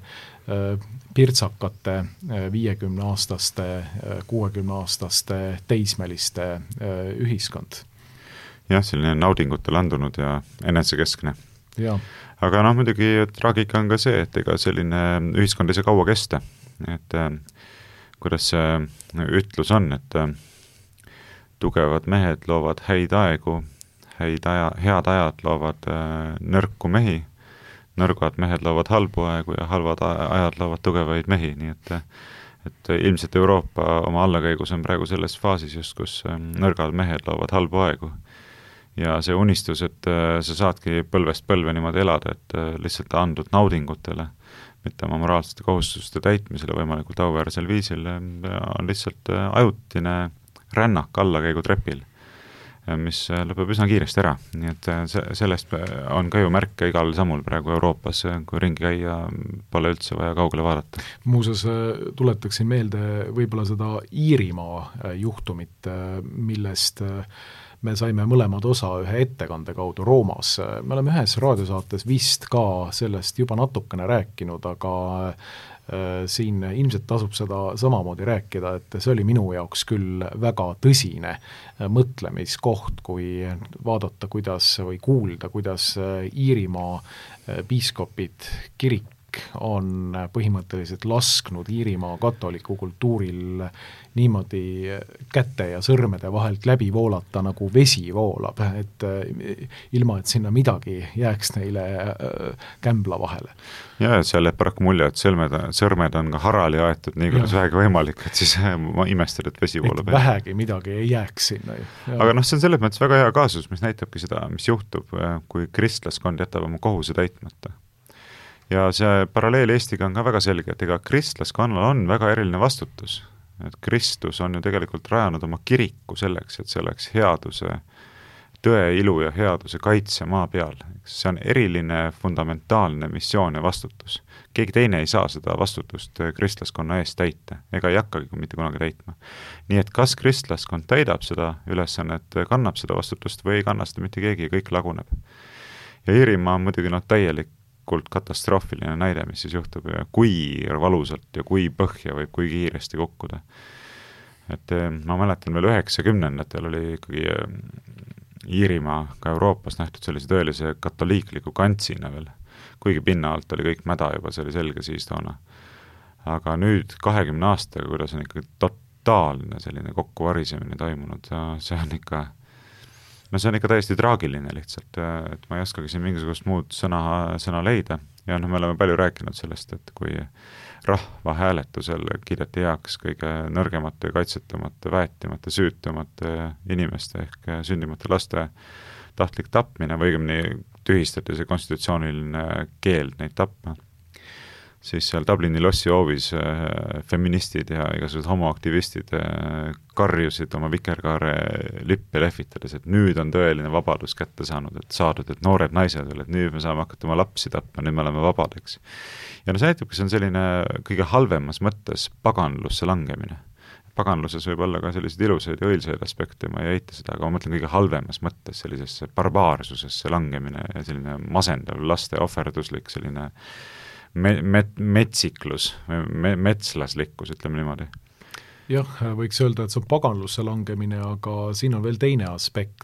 pirtsakate 50-aastaste, 60-aastaste teismeliste ühiskond. Jah, selline naudingutele andunud ja enesekeskne. Ja. Aga muidugi traagika on ka see, et ega selline ühiskond ei saa kaua kesta, et kuidas see ütlus on, et tugevad mehed loovad häid aegu, head ajad loovad nõrku mehi, nõrgad mehed loovad halbu aegu ja halvad ajad loovad tugevaid mehi, nii et ilmselt Euroopa oma allakäigus on praegu selles faasis just, kus nõrgad mehed loovad halbu aegu. Ja see unistus, et sa saadki põlvest põlve niimoodi elada, et lihtsalt andud naudingutele, mitte oma moraalsete kohustuste täitmisele võimalikult auväärsel viisil, on lihtsalt ajutine rännak allakäigutrepil, mis lõpeb üsna kiiresti ära. Nii et sellest on ka ju märke igal sammul praegu Euroopas, kui ringi käia, pole üldse vaja kaugele vaadata. Muuseas tuletaksin meelde võib-olla seda Iirimaa juhtumit, millest me saime mõlemad osa ühe ettekande kaudu Roomas. Me oleme ühes raadiosaates vist ka sellest juba natukene rääkinud, aga siin ilmselt tasub seda samamoodi rääkida, et see oli minu jaoks küll väga tõsine mõtlemiskoht, kui vaadata, kuidas või kuulda, kuidas Iirimaa piiskopid, kirik on põhimõtteliselt lasknud Iirimaa katoliku kultuuril niimoodi käte ja sõrmede vahelt läbi voolata, nagu vesi voolab, et ilma, et sinna midagi jääks neile kämbla vahele. Ja seal jääb paraku mulje, et sõrmed on ka harali aetud nii, kuidas vähegi võimalik, et siis ma imestan, et vesi voolab. Et vähegi midagi ei jääks sinna. Aga see on selles mõttes väga hea kaasus, mis näitabki seda, mis juhtub, kui kristlaskond jätab oma kohuse täitmata. Ja see paralleel Eestiga on ka väga selge, et ega kristlaskonnal on väga eriline vastutus. Et Kristus on ju tegelikult rajanud oma kiriku selleks, et see oleks headuse, tõe, ilu ja headuse kaitse maa peal. See on eriline fundamentaalne missioon ja vastutus. Keegi teine ei saa seda vastutust kristlaskonna eest täita, ega ei hakkagi mitte kunagi täitma. Nii et kas kristlaskond täidab seda ülesannet, kannab seda vastutust või ei kanna seda mitte keegi ja kõik laguneb. Ja Iirimaa on muidugi täielik katastroofiline näide, mis siis juhtub ja kui valusalt ja kui põhja võib kui kiiresti kukkuda. Et ma mäletan veel 90-ndatel oli ikkagi Iirimaa ka Euroopas nähtud sellise tõelise katoliikliku kantsina veel, kuigi pinna alt oli kõik mäda juba, see oli selge siis toona. Aga nüüd 20 aastaga, kuidas on ikkagi totaalne selline kokkuvarisemine toimunud, see on ikka täiesti traagiline lihtsalt, et ma ei oskagi siin mingisugust muud sõna leida. Ja me oleme palju rääkinud sellest, et kui rahva hääletusel kiideti heaks kõige nõrgemate, kaitsetumate, väetimate, süütumate inimeste ehk sündimate laste tahtlik tapmine või õigemini tühistati see konstitutsiooniline keeld neid tapma, siis seal Dublini lossi hoovis feministid ja igasugused homoaktivistid karjusid oma vikerkaare lippe lehvitades, et nüüd on tõeline vabadus kätte saanud, et noored naised veel, et nüüd me saame hakata oma lapsi tapma, nüüd me oleme vabadeks. Ja see näitabki, see on selline kõige halvemas mõttes paganlusse langemine. Paganluses võib olla ka selliseid ilusaid ja õilsaid aspekte, ma ei eita seda, aga ma mõtlen kõige halvemas mõttes sellisesse barbaarsusesse langemine ja selline masendav, laste ohverduslik, selline metsiklus, metslaslikkus, ütleme niimoodi. Jah, võiks öelda, et see on paganlusse langemine, aga siin on veel teine aspekt.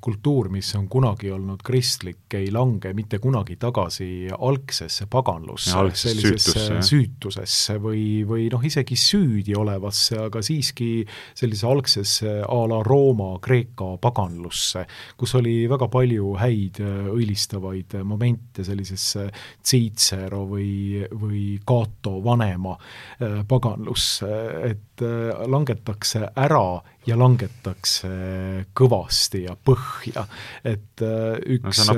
Kultuur, mis on kunagi olnud kristlik, ei lange mitte kunagi tagasi algsesse paganlusse, sellisesse süütusesse või isegi süüdi olevasse, aga siiski sellise algsesse a la Rooma, Kreeka paganlusse, kus oli väga palju häid õilistavaid momente sellisesse Cicero või Cato vanema paganlusse, et langetakse ära ja langetakse kõvasti ja põhja. Et üks, see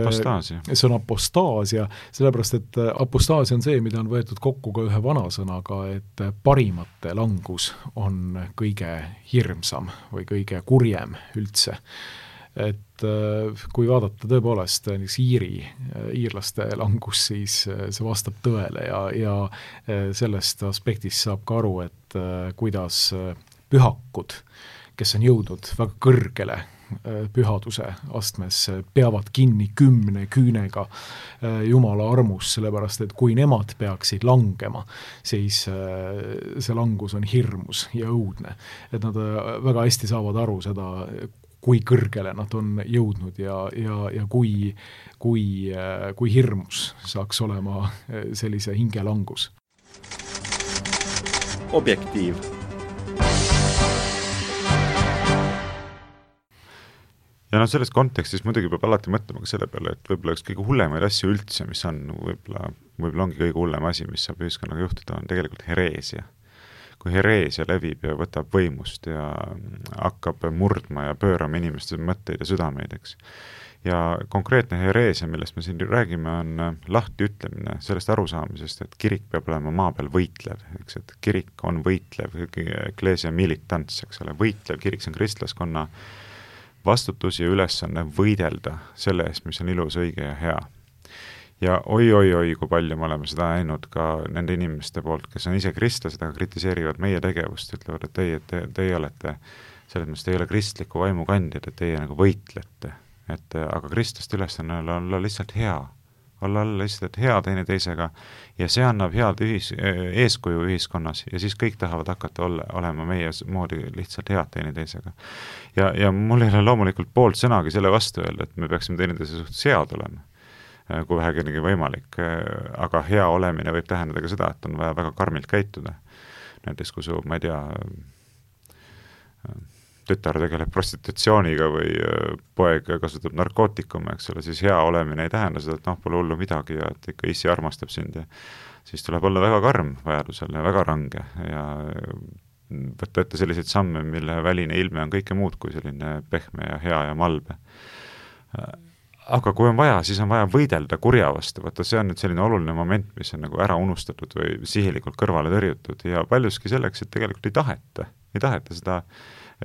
on apostaasia, sellepärast, et apostaasia on see, mida on võetud kokku ka ühe vanasõnaga, et parimate langus on kõige hirmsam või kõige kurjem üldse. Et kui vaadata tõepoolest iirlaste langus, siis see vastab tõele ja sellest aspektist saab ka aru, et kuidas pühakud, kes on jõudnud väga kõrgele pühaduse astmes, peavad kinni 10 küünega Jumala armus, sellepärast et kui nemad peaksid langema, siis see langus on hirmus ja õudne. Et nad väga hästi saavad aru seda, kui kõrgele nad on jõudnud ja kui hirmus saaks olema sellise hingelangus. Objektiiv. Ja selles kontekstis muidugi peab alati mõtlema ka selle peale, et võib-olla üks kõige hullemaid asju üldse, mis on võib-olla ongi kõige hullem asi, mis saab ühiskonnaga juhtuda, on tegelikult hereesia. Kui hereesia levib ja võtab võimust ja hakkab murdma ja pöörama inimeste mõtteid ja südameid, eks. Ja konkreetne hereesia, millest me siin räägime, on lahti ütlemine sellest arusaamisest, et kirik peab olema maa peal võitlev, eks, et kirik on võitlev, ecclesia militants, eks ole, võitlev kirik, see on kristlaskonna vastutus ja ülesanne võidelda selle eest, mis on ilus, õige ja hea. Ja oi, kui palju me oleme seda näinud ka nende inimeste poolt, kes on ise kristlased, aga kritiseerivad meie tegevust, ütlevad, et teie olete selles mõttes te ei ole kristliku vaimu kandjad, et teie nagu võitlete, aga kristlaste ülesanne on olla lihtsalt hea, olla lihtsalt hea teineteisega ja see annab head eeskuju ühiskonnas ja siis kõik tahavad hakata olema meie moodi lihtsalt head teineteisega. Ja mul ei ole loomulikult poolt sõnagi selle vastu öelda, et me peaksime teineteise suhtes head olema, kui vähegi võimalik, aga hea olemine võib tähendada ka seda, et on vaja väga karmilt käituda. Näiteks kui su, ma ei tea, tütar tegeleb prostitutsiooniga või poeg kasutab narkootikume, eks ole, siis hea olemine ei tähenda seda, et pole hullu midagi ja et ikka issi armastab sind ja siis tuleb olla väga karm vajadusel ja väga range ja võtta ette selliseid samme, mille väline ilme on kõike muud kui selline pehme ja hea ja malbe. Aga kui on vaja, siis on vaja võidelda kurja vastu, vaata see on nüüd selline oluline moment, mis on nagu ära unustatud või sihilikult kõrvale tõrjutud ja paljuski selleks, et tegelikult ei taheta seda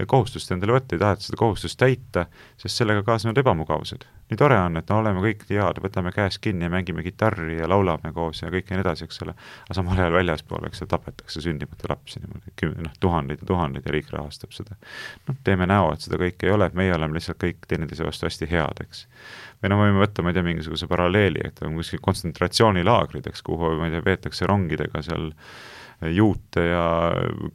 kohustust endale võtta, ei taheta seda kohustust täita, sest sellega kaasnevad ebamugavused. Nii tore on, et oleme kõik head, võtame käes kinni ja mängime kitarri ja laulame koos ja kõik ja nii edasi, eks ole. Aga samal ajal väljaspool, eks tapetakse sündimata lapsi, tuhandeid ja riik rahastab seda. Teeme näo, et seda kõik ei ole, et meie oleme lihtsalt kõik teineteise vastu hästi head, eks. Või võime võtta, ma ei tea, mingisuguse paralleeli, et on kuskil kontsentratsioonilaagrid, eks, kuhu, ma ei tea, veetakse rongidega seal juute ja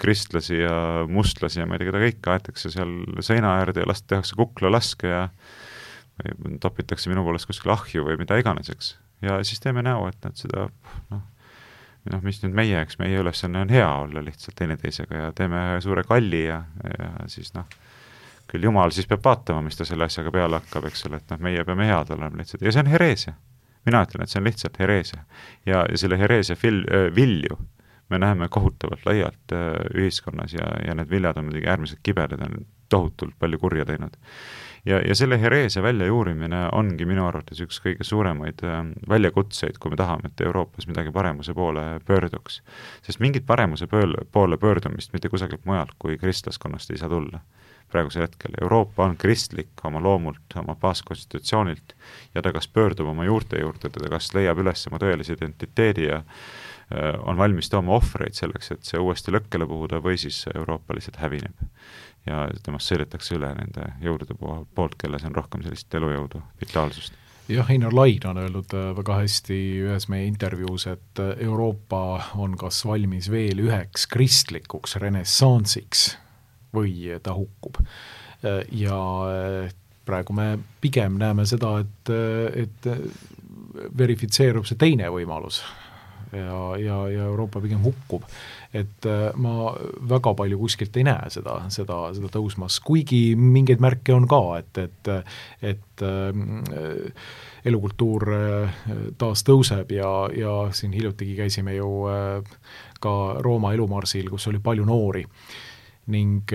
kristlasi ja mustlasi ja ma ei tea, keda kõik aetakse seal seina äärde ja tehakse kuklalaske ja topitakse minu poolest kuskil ahju või mida iganes, eks. Ja siis teeme näo, et nad seda, mis nüüd meie, eks meie ülesanne on hea olla lihtsalt teineteisega ja teeme suure kalli ja siis küll Jumal siis peab vaatama, mis ta selle asjaga peale hakkab, eks ole, et meie peame head olema lihtsalt ja see on hereesia. Mina ütlen, et see on lihtsalt hereesia ja selle hereesia vilju me näeme kohutavalt laialt ühiskonnas ja need viljad on muidugi äärmiselt kibedad, on tohutult palju kurja teinud. Ja selle hereesia väljajuurimine ongi minu arvates üks kõige suuremaid väljakutseid, kui me tahame, et Euroopas midagi paremuse poole pöörduks. Sest mingit paremuse poole pöördumist mitte kusagilt mujalt kui kristlaskonnast ei saa tulla. Praegusel hetkel Euroopa on kristlik oma loomult, oma baaskonstitutsioonilt ja ta kas pöördub oma juurte juurde, ta kas leiab üles oma tõelise identiteedi ja on valmis tooma ohvreid selleks, et see uuesti lõkkele puhuda või siis Euroopa lihtsalt hävineb ja temast sõidetakse üle nende jõudude poolt, kelles on rohkem sellist elujõudu, vitaalsust. Jah, Einar Laid on öeldud väga hästi ühes meie intervjuus, et Euroopa on kas valmis veel üheks kristlikuks renessansiks või ta hukkub. Ja praegu me pigem näeme seda, et verifitseerub see teine võimalus ja Euroopa pigem hukkub. Et ma väga palju kuskilt ei näe seda tõusmas, kuigi mingeid märke on ka, et elukultuur taas tõuseb ja siin hiljutigi käisime ju ka Rooma elumarsil, kus oli palju noori ning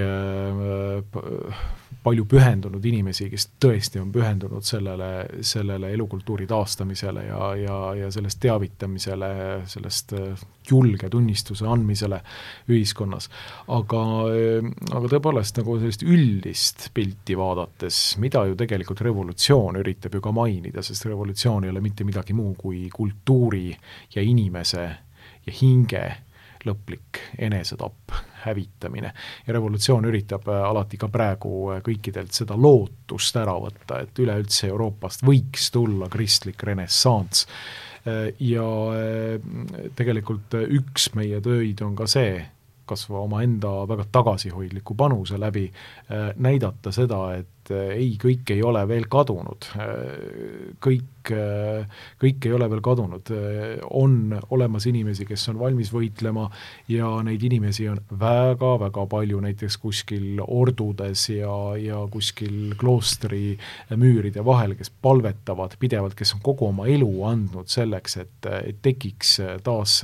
palju pühendunud inimesi, kes tõesti on pühendunud sellele elukultuuri taastamisele ja sellest teavitamisele, sellest julge tunnistuse andmisele ühiskonnas. Aga tõepoolest nagu sellist üldist pilti vaadates, mida ju tegelikult revolutsioon üritab ju ka mainida, sest revolutsioon ei ole mitte midagi muu kui kultuuri ja inimese ja hinge lõplik enesetapp, hävitamine. Ja revolutsioon üritab alati ka praegu kõikidelt seda lootust ära võtta, et üleüldse Euroopast võiks tulla kristlik renessants. Ja tegelikult üks meie töid on ka see, kas oma enda väga tagasihoidliku panuse läbi näidata seda, et ei, kõik ei ole veel kadunud. Kõik ei ole veel kadunud. On olemas inimesi, kes on valmis võitlema ja neid inimesi on väga-väga palju näiteks kuskil ordudes ja kuskil kloostri müüride vahel, kes palvetavad pidevalt, kes on kogu oma elu andnud selleks, et tekiks taas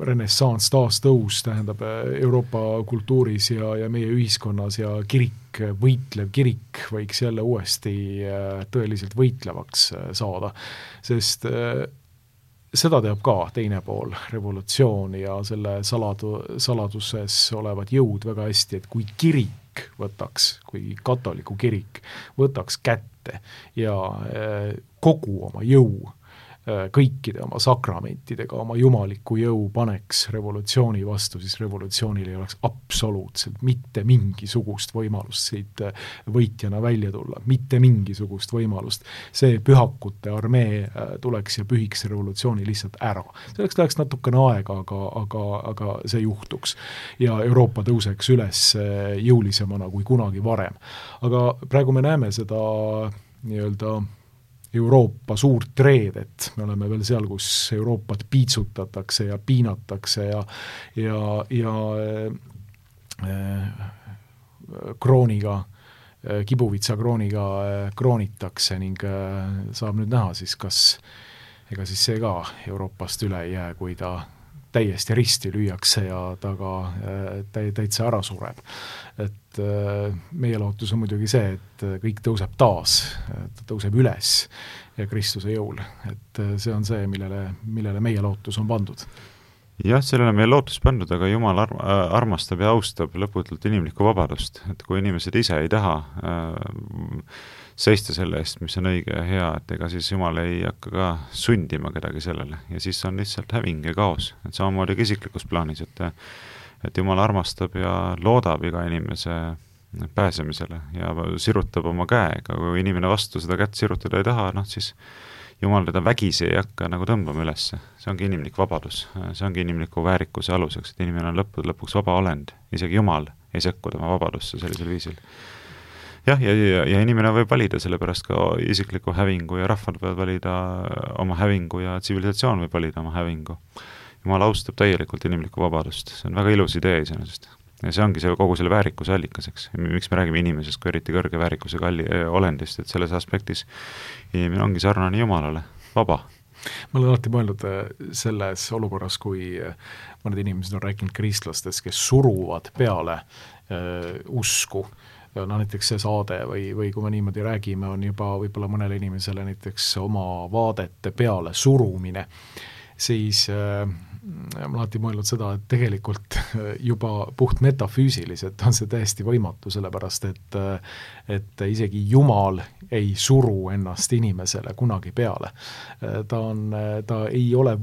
renessants, taas tõus, tähendab Euroopa kultuuris ja meie ühiskonnas ja kirik, võitlev kirik võiks jälle uuesti tõeliselt võitlevaks saada, sest seda teab ka teine pool, revolutsioon ja selle saladuses olevad jõud väga hästi, et kui kirik võtaks, kui katoliku kirik võtaks kätte ja kogu oma jõu kõikide oma sakramentidega oma jumaliku jõu paneks revolutsiooni vastu, siis revolutsioonil ei oleks absoluutselt mitte mingisugust võimalust siit võitjana välja tulla, mitte mingisugust võimalust. See pühakute armee tuleks ja pühiks revolutsiooni lihtsalt ära. Selleks läheks natukene aega, aga see juhtuks. Ja Euroopa tõuseks üles jõulisemana kui kunagi varem. Aga praegu me näeme seda nii-öelda Euroopa suurt reedet, me oleme veel seal, kus Euroopat piitsutatakse ja piinatakse ja krooniga, kibuvitsa krooniga kroonitakse ning saab nüüd näha siis, kas ega siis see ka Euroopast üle ei jää, kui ta täiesti risti lüüakse ja ta ka täitsa ära sureb. Et meie lootus on muidugi see, et kõik tõuseb taas, ta tõuseb üles ja Kristuse jõul. Et see on see, millele meie lootus on pandud. Jah, sellele meie lootus pandud, aga Jumal armastab ja austab lõputult inimlikku vabadust. Et kui inimesed ise ei taha seista selle eest, mis on õige ja hea, et ega siis Jumal ei hakka ka sundima kedagi sellele ja siis on lihtsalt häving ja kaos, et samamoodi ka isiklikus plaanis, et Jumal armastab ja loodab iga inimese pääsemisele ja sirutab oma käega, kui inimene vastu seda kätt sirutada ei taha, siis Jumal teda vägisi ei hakka nagu tõmbama ülesse, see ongi inimlik vabadus, see ongi inimliku väärikuse aluseks, et inimene on lõpuks vaba olend, isegi Jumal ei sekku tema vabadusse sellisel viisil. Jah, ja inimene võib valida selle pärast ka isikliku hävingu ja rahvad võivad valida oma hävingu ja tsivilisatsioon võib valida oma hävingu. Jumal austab täielikult inimlikku vabadust, see on väga ilus idee iseenesest. Ja see ongi see kogu selle väärikuse allikaseks. Miks me räägime inimesest kui eriti kõrge väärikusega olendist, et selles aspektis inimene ongi sarnane Jumalale, vaba. Ma olen alati mõelnud selles olukorras, kui mõned inimesed on rääkinud kristlastest, kes suruvad peale usku. Näiteks see saade või kui me niimoodi räägime, on juba võib-olla mõnele inimesele näiteks oma vaadete peale surumine, siis ma olen alati mõelnud seda, et tegelikult juba puht metafüüsiliselt on see täiesti võimatu, sellepärast et isegi Jumal ei suru ennast inimesele kunagi peale. Ta ei ole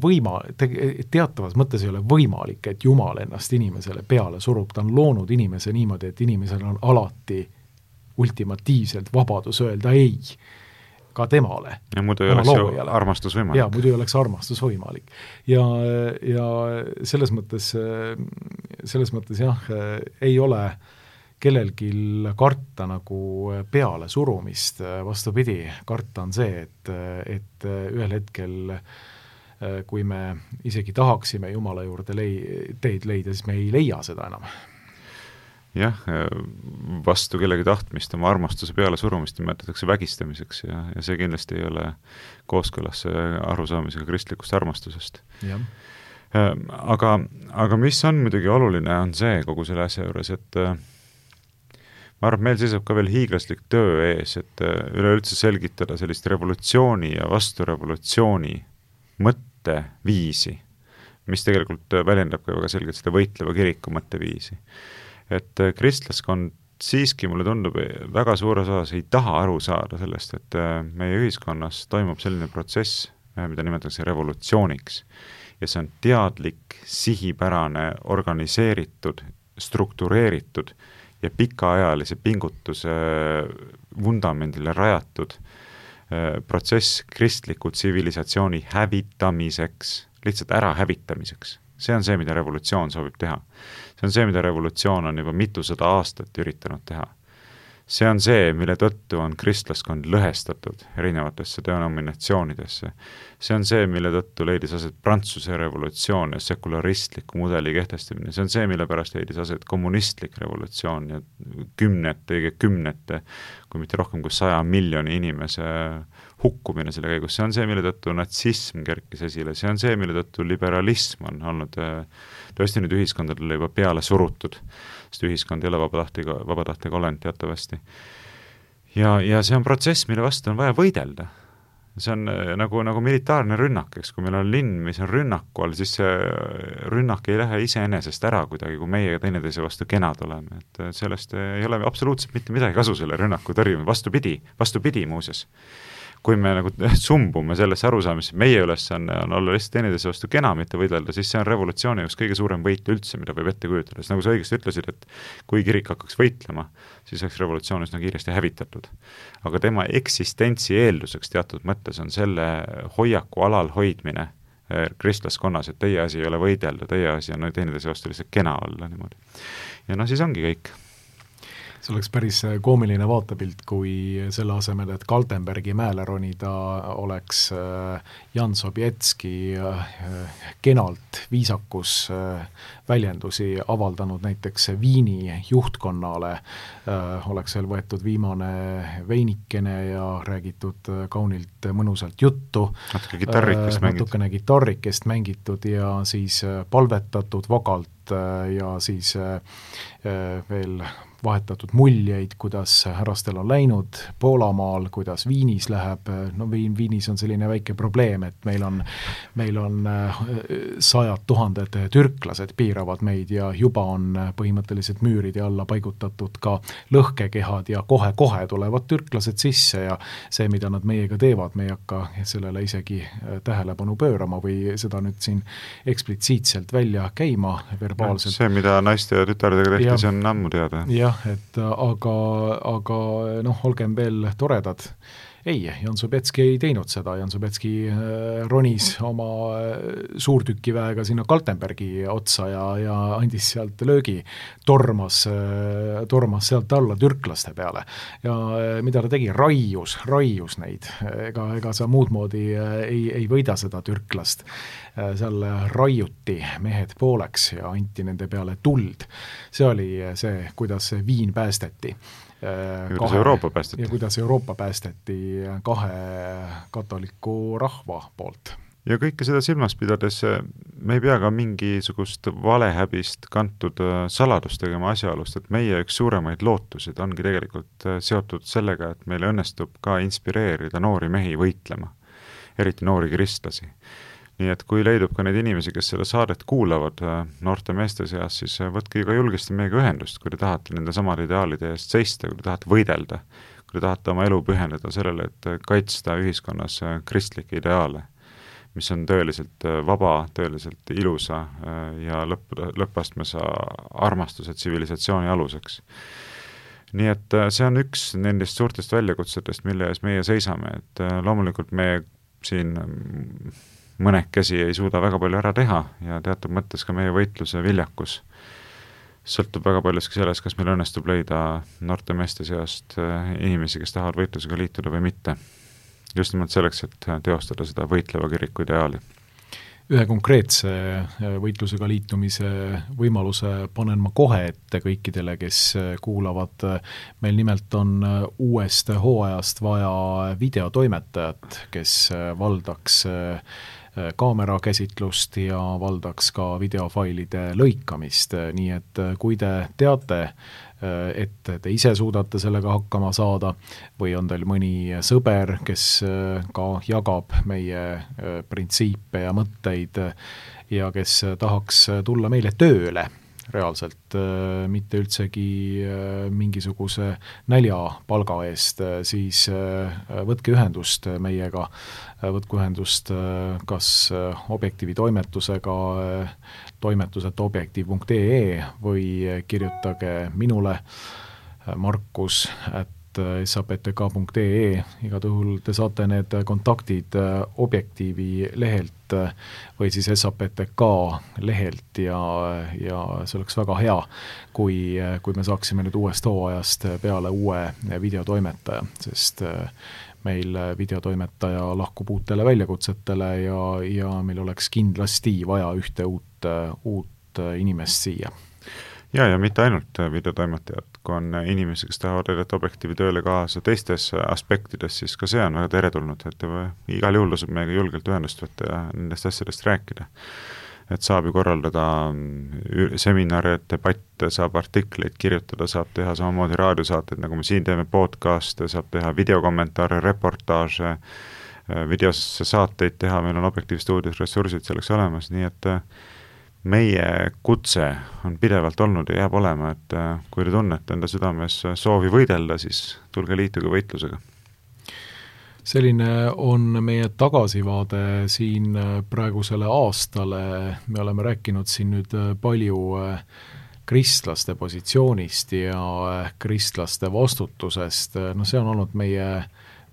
teatavas mõttes ei ole võimalik, et Jumal ennast inimesele peale surub. Ta on loonud inimese niimoodi, et inimesel on alati ultimatiivselt vabadus öelda ei ka temale. Ja muidu ei oleks ju armastus võimalik. Ja muidu ei oleks armastus võimalik. Ja selles mõttes jah, ei ole kellelgi karta nagu peale surumist, vastupidi, karta on see, et ühel hetkel, kui me isegi tahaksime Jumala juurde teid leida, siis me ei leia seda enam. Jah, vastu kellegi tahtmist, oma armastuse peale surumist nimetatakse vägistamiseks ja see kindlasti ei ole kooskõlas arusaamisega kristlikust armastusest. Ja. Aga mis on muidugi oluline, on see kogu selle asja juures, et ma arvan, et meil seisab ka veel hiiglaslik töö ees, et üleüldse selgitada sellist revolutsiooni ja vasturevolutsiooni mõtteviisi, mis tegelikult väljendab ka väga selgelt seda võitleva kiriku mõtteviisi. Et kristlaskond siiski, mulle tundub, väga suures osas ei taha aru saada sellest, et meie ühiskonnas toimub selline protsess, mida nimetatakse revolutsiooniks. Ja see on teadlik, sihipärane, organiseeritud, struktureeritud ja pikaajalise pingutuse vundamendile rajatud protsess kristliku tsivilisatsiooni hävitamiseks, lihtsalt ära hävitamiseks. See on see, mida revolutsioon soovib teha. See on see, mida revolutsioon on juba mitusada aastat üritanud teha. See on see, mille tõttu on kristlaskond lõhestatud erinevatesse denominatsioonidesse. See on see, mille tõttu leidis aset Prantsuse revolutsioon ja sekularistliku mudeli kehtestamine. See on see, mille pärast leidis aset kommunistlik revolutsioon ja kümnete, kui mitte rohkem kui 100 miljoni inimese hukkumine selle käigus. See on see, mille tõttu natsism kerkis esile. See on see, mille tõttu liberalism on olnud tõesti nüüd ühiskondadele juba peale surutud, sest ühiskond ei ole vabatahtega olend teatavasti. Ja see on protsess, mille vastu on vaja võidelda. See on nagu militaarne rünnak, eks, kui meil on linn, mis on rünnaku all, siis see rünnak ei lähe iseenesest ära kuidagi, kui meie teineteise vastu kenad oleme. Et sellest ei ole absoluutselt mitte midagi kasu selle rünnaku tõrjumine, vastupidi muuses. kui me nagu sumbume sellesse arusaamisse, meie ülesanne on olla lihtsalt teineteise vastu kena, mitte võidelda, siis see on revolutsiooni üks kõige suurem võit üldse, mida võib ette kujutada. Nagu sa õigesti ütlesid, et kui kirik hakkaks võitlema, siis oleks revolutsioon üsna kiiresti hävitatud. Aga tema eksistentsi eelduseks teatud mõttes on selle hoiaku alal hoidmine kristlaskonnas, et teie asi ei ole võidelda, teie asi on teineteise vastu lihtsalt kena olla niimoodi. Ja siis ongi kõik. See oleks päris koomiline vaatepilt, kui selle asemel, et Kaltenbergi mäele ronida, oleks Jan Sobietski kenalt viisakus väljendusi avaldanud näiteks Viini juhtkonnale, oleks veel võetud viimane veinikene ja räägitud kaunilt mõnusalt juttu, natukene gitarrikest mängitud ja siis palvetatud vagalt ja siis veel vahetatud muljeid, kuidas härrastel on läinud Poolamaal, kuidas Viinis läheb, Viinis on selline väike probleem, et meil on 100 000 türklased piiravad meid ja juba on põhimõtteliselt müüride alla paigutatud ka lõhkekehad ja kohe-kohe tulevad türklased sisse ja see, mida nad meiega teevad, me ei hakka sellele isegi tähelepanu pöörama või seda nüüd siin eksplitsiitselt välja käima verbaalselt. See, mida naiste ja tütardega tehti, see on ammu teada. Et aga olgem veel toredad. Ei, Jan Sobetski ei teinud seda, Jan Sobetski ronis oma suurtükiväega sinna Kaltenbergi otsa ja andis sealt löögi, tormas sealt alla türklaste peale. Ja mida ta tegi? Raius neid. Ega sa muud moodi ei võida seda türklast. Seal raiuti mehed pooleks ja anti nende peale tuld. See oli see, kuidas Viin päästeti. Kuidas Euroopa päästeti 2 katoliku rahva poolt. Ja kõike seda silmas pidades me ei pea ka mingisugust valehäbist kantud saladust tegema asjaolust, et meie üks suuremaid lootusid ongi tegelikult seotud sellega, et meil õnnestub ka inspireerida noori mehi võitlema, eriti noori kristlasi. Nii et kui leidub ka neid inimesi, kes selle saadet kuulavad noorte meeste seas, siis võtke ka julgesti meiega ühendust, kui te tahate nende samade ideaalide eest seista, kui te tahate võidelda, kui te tahate oma elu pühendada sellele, et kaitsta ühiskonnas kristlikke ideaale, mis on tõeliselt vaba, tõeliselt ilusa ja lõppastmes armastuse tsivilisatsiooni aluseks. Nii et see on üks nendest suurtest väljakutsetest, mille ees meie seisame, et loomulikult me siin mõnekesi ei suuda väga palju ära teha ja teatud mõttes ka meie võitluse viljakus sõltub väga paljuski sellest, kas meil õnnestub leida noorte meeste seast inimesi, kes tahavad võitlusega liituda või mitte. Just nimelt selleks, et teostada seda võitleva kiriku ideaali. Ühe konkreetse võitlusega liitumise võimaluse panen ma kohe ette kõikidele, kes kuulavad. Meil nimelt on uuest hooajast vaja videotoimetajat, kes valdaks kaamerakäsitlust ja valdaks ka videofailide lõikamist, nii et kui te teate, et te ise suudate sellega hakkama saada või on teil mõni sõber, kes ka jagab meie printsiipe ja mõtteid ja kes tahaks tulla meile tööle reaalselt, mitte üldsegi mingisuguse näljapalga eest, siis võtke ühendust meiega, võtke ühendust kas Objektiivi toimetusega, toimetus@objektiiv.ee või kirjutage minule markus@saptk.ee, igal juhul te saate need kontaktid Objektiivi lehelt või siis SAPTK lehelt ja see oleks väga hea, kui me saaksime nüüd uuest hooajast peale uue videotoimetaja, sest meil videotoimetaja lahkub uutele väljakutsetele ja meil oleks kindlasti vaja ühte uut inimest siia. Ja mitte ainult videotoimetajad, kui on inimesi, kes tahavad edeta Objektiivi tööle kaasa teistes aspektides, siis ka see on väga teretulnud, et igal juhul tasub meiega julgelt ühendust võtta ja nendest asjadest rääkida. Et saab ju korraldada seminare, debatte, saab artikleid kirjutada, saab teha samamoodi raadiosaateid, nagu me siin teeme podcaste, saab teha videokommentaare, reportaaže, videosse saateid teha, meil on Objektiivi stuudios ressursid selleks olemas, nii et meie kutse on pidevalt olnud ja jääb olema, et kui te tunnete enda südames soovi võidelda, siis tulge liituge võitlusega. selline on meie tagasivaade siin praegusele aastale, me oleme rääkinud siin nüüd palju kristlaste positsioonist ja kristlaste vastutusest, no see on olnud meie,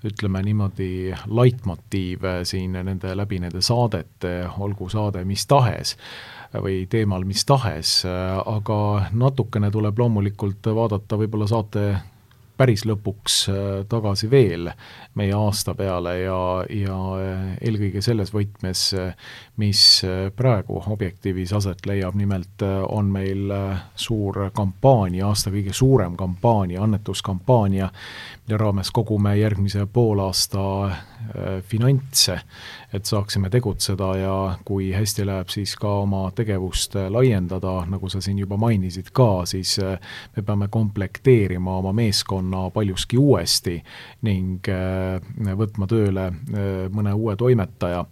ütleme niimoodi, laitmotiiv siin läbi nende saadete, olgu saade mis tahes või teemal mis tahes, aga natukene tuleb loomulikult vaadata võib-olla saate päris lõpuks tagasi veel meie aasta peale ja eelkõige selles võtmes, mis praegu Objektiivis aset leiab, nimelt on meil suur kampaania, aasta kõige suurem kampaania, annetuskampaania, mille raames kogume järgmise poolaasta finantse, et saaksime tegutseda ja kui hästi läheb, siis ka oma tegevust laiendada, nagu sa siin juba mainisid ka, siis me peame komplekteerima oma meeskonna paljuski uuesti ning võtma tööle mõne uue toimetaja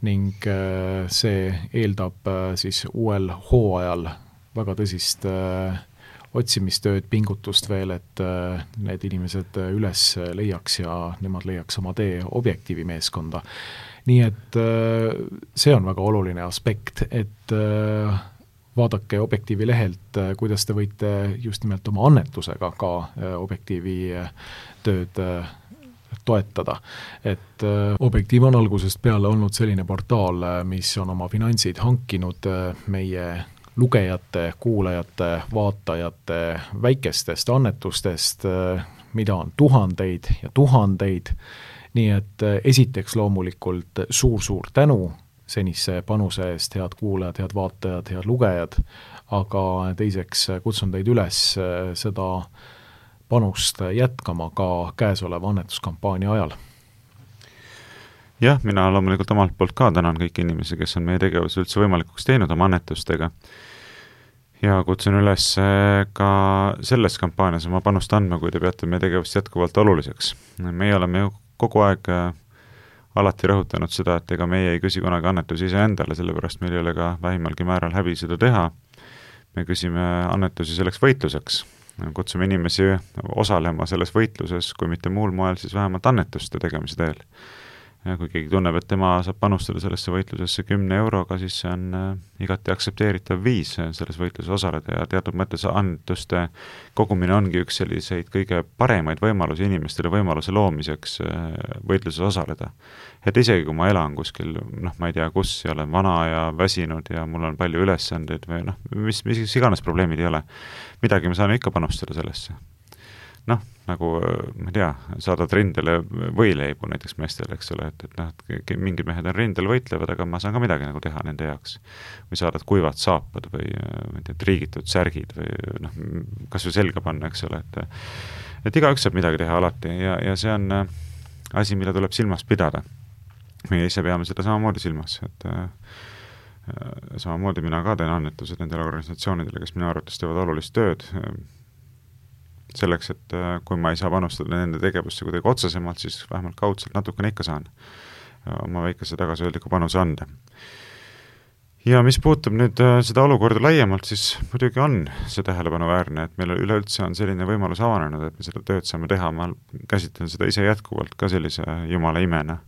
ning see eeldab siis uuel hooajal väga tõsist otsimistööd, pingutust veel, et need inimesed üles leiaks ja nemad leiaks oma tee Objektiivi meeskonda. Nii et see on väga oluline aspekt, et vaadake Objektiivi lehelt, kuidas te võite just nimelt oma annetusega ka Objektiivi tööd toetada. Et Objektiiv on algusest peale olnud selline portaal, mis on oma finantsid hankinud meie lugejate, kuulajate, vaatajate väikestest annetustest, mida on tuhandeid ja tuhandeid. Nii et esiteks loomulikult suur-suur tänu senise panuse eest, head kuulajad, head vaatajad, head lugejad, aga teiseks kutsun teid üles seda panust jätkama ka käesoleva annetuskampaania ajal. Jah, mina loomulikult omalt poolt ka tänan kõiki inimesi, kes on meie tegevuse üldse võimalikuks teinud oma annetustega ja kutsun üles ka selles kampaanias oma panust andma, kui te peate meie tegevust jätkuvalt oluliseks. Meie oleme ju kogu aeg alati rõhutanud seda, et ega meie ei küsi kunagi annetusi iseendale, sellepärast meil ei ole ka vähimalgi määral häbi seda teha. Me küsime annetusi selleks võitluseks. Kutsume inimesi osalema selles võitluses, kui mitte muul moel, siis vähemalt annetuste tegemise teel. Ja kui keegi tunneb, et tema saab panustada sellesse võitlusesse 10 euroga, siis see on igati aktsepteeritav viis selles võitluses osaleda ja teatud mõttes annetuste kogumine ongi üks selliseid kõige paremaid võimalusi inimestele võimaluse loomiseks võitluses osaleda. Et isegi kui ma elan kuskil, ma ei tea kus, ja olen vana ja väsinud ja mul on palju ülesandeid või mis iganes probleemid ei ole, midagi me saame ikka panustada sellesse. Nagu, ma ei tea, saadad rindele võileibu näiteks meestele, eks ole, et mingid mehed on rindel võitlevad, aga ma saan ka midagi nagu teha nende jaoks. Või saadad kuivad saapad või triigitud särgid või kas või selga panna, eks ole, et igaüks saab midagi teha alati ja see on asi, mille tuleb silmas pidada. Meie ise peame seda samamoodi silmas, et samamoodi mina ka teen annetused nendele organisatsioonidele, kes minu arvates teevad olulist tööd, selleks, et kui ma ei saa panustada nende tegevusse kuidagi otsesemalt, siis vähemalt kaudselt natukene ikka saan oma väikese tagasihoidliku panuse anda. Ja mis puutub nüüd seda olukorda laiemalt, siis muidugi on see tähelepanuväärne, et meil üleüldse on selline võimalus avanenud, et me seda tööd saame teha, ma käsitlen seda ise jätkuvalt ka sellise jumala imena.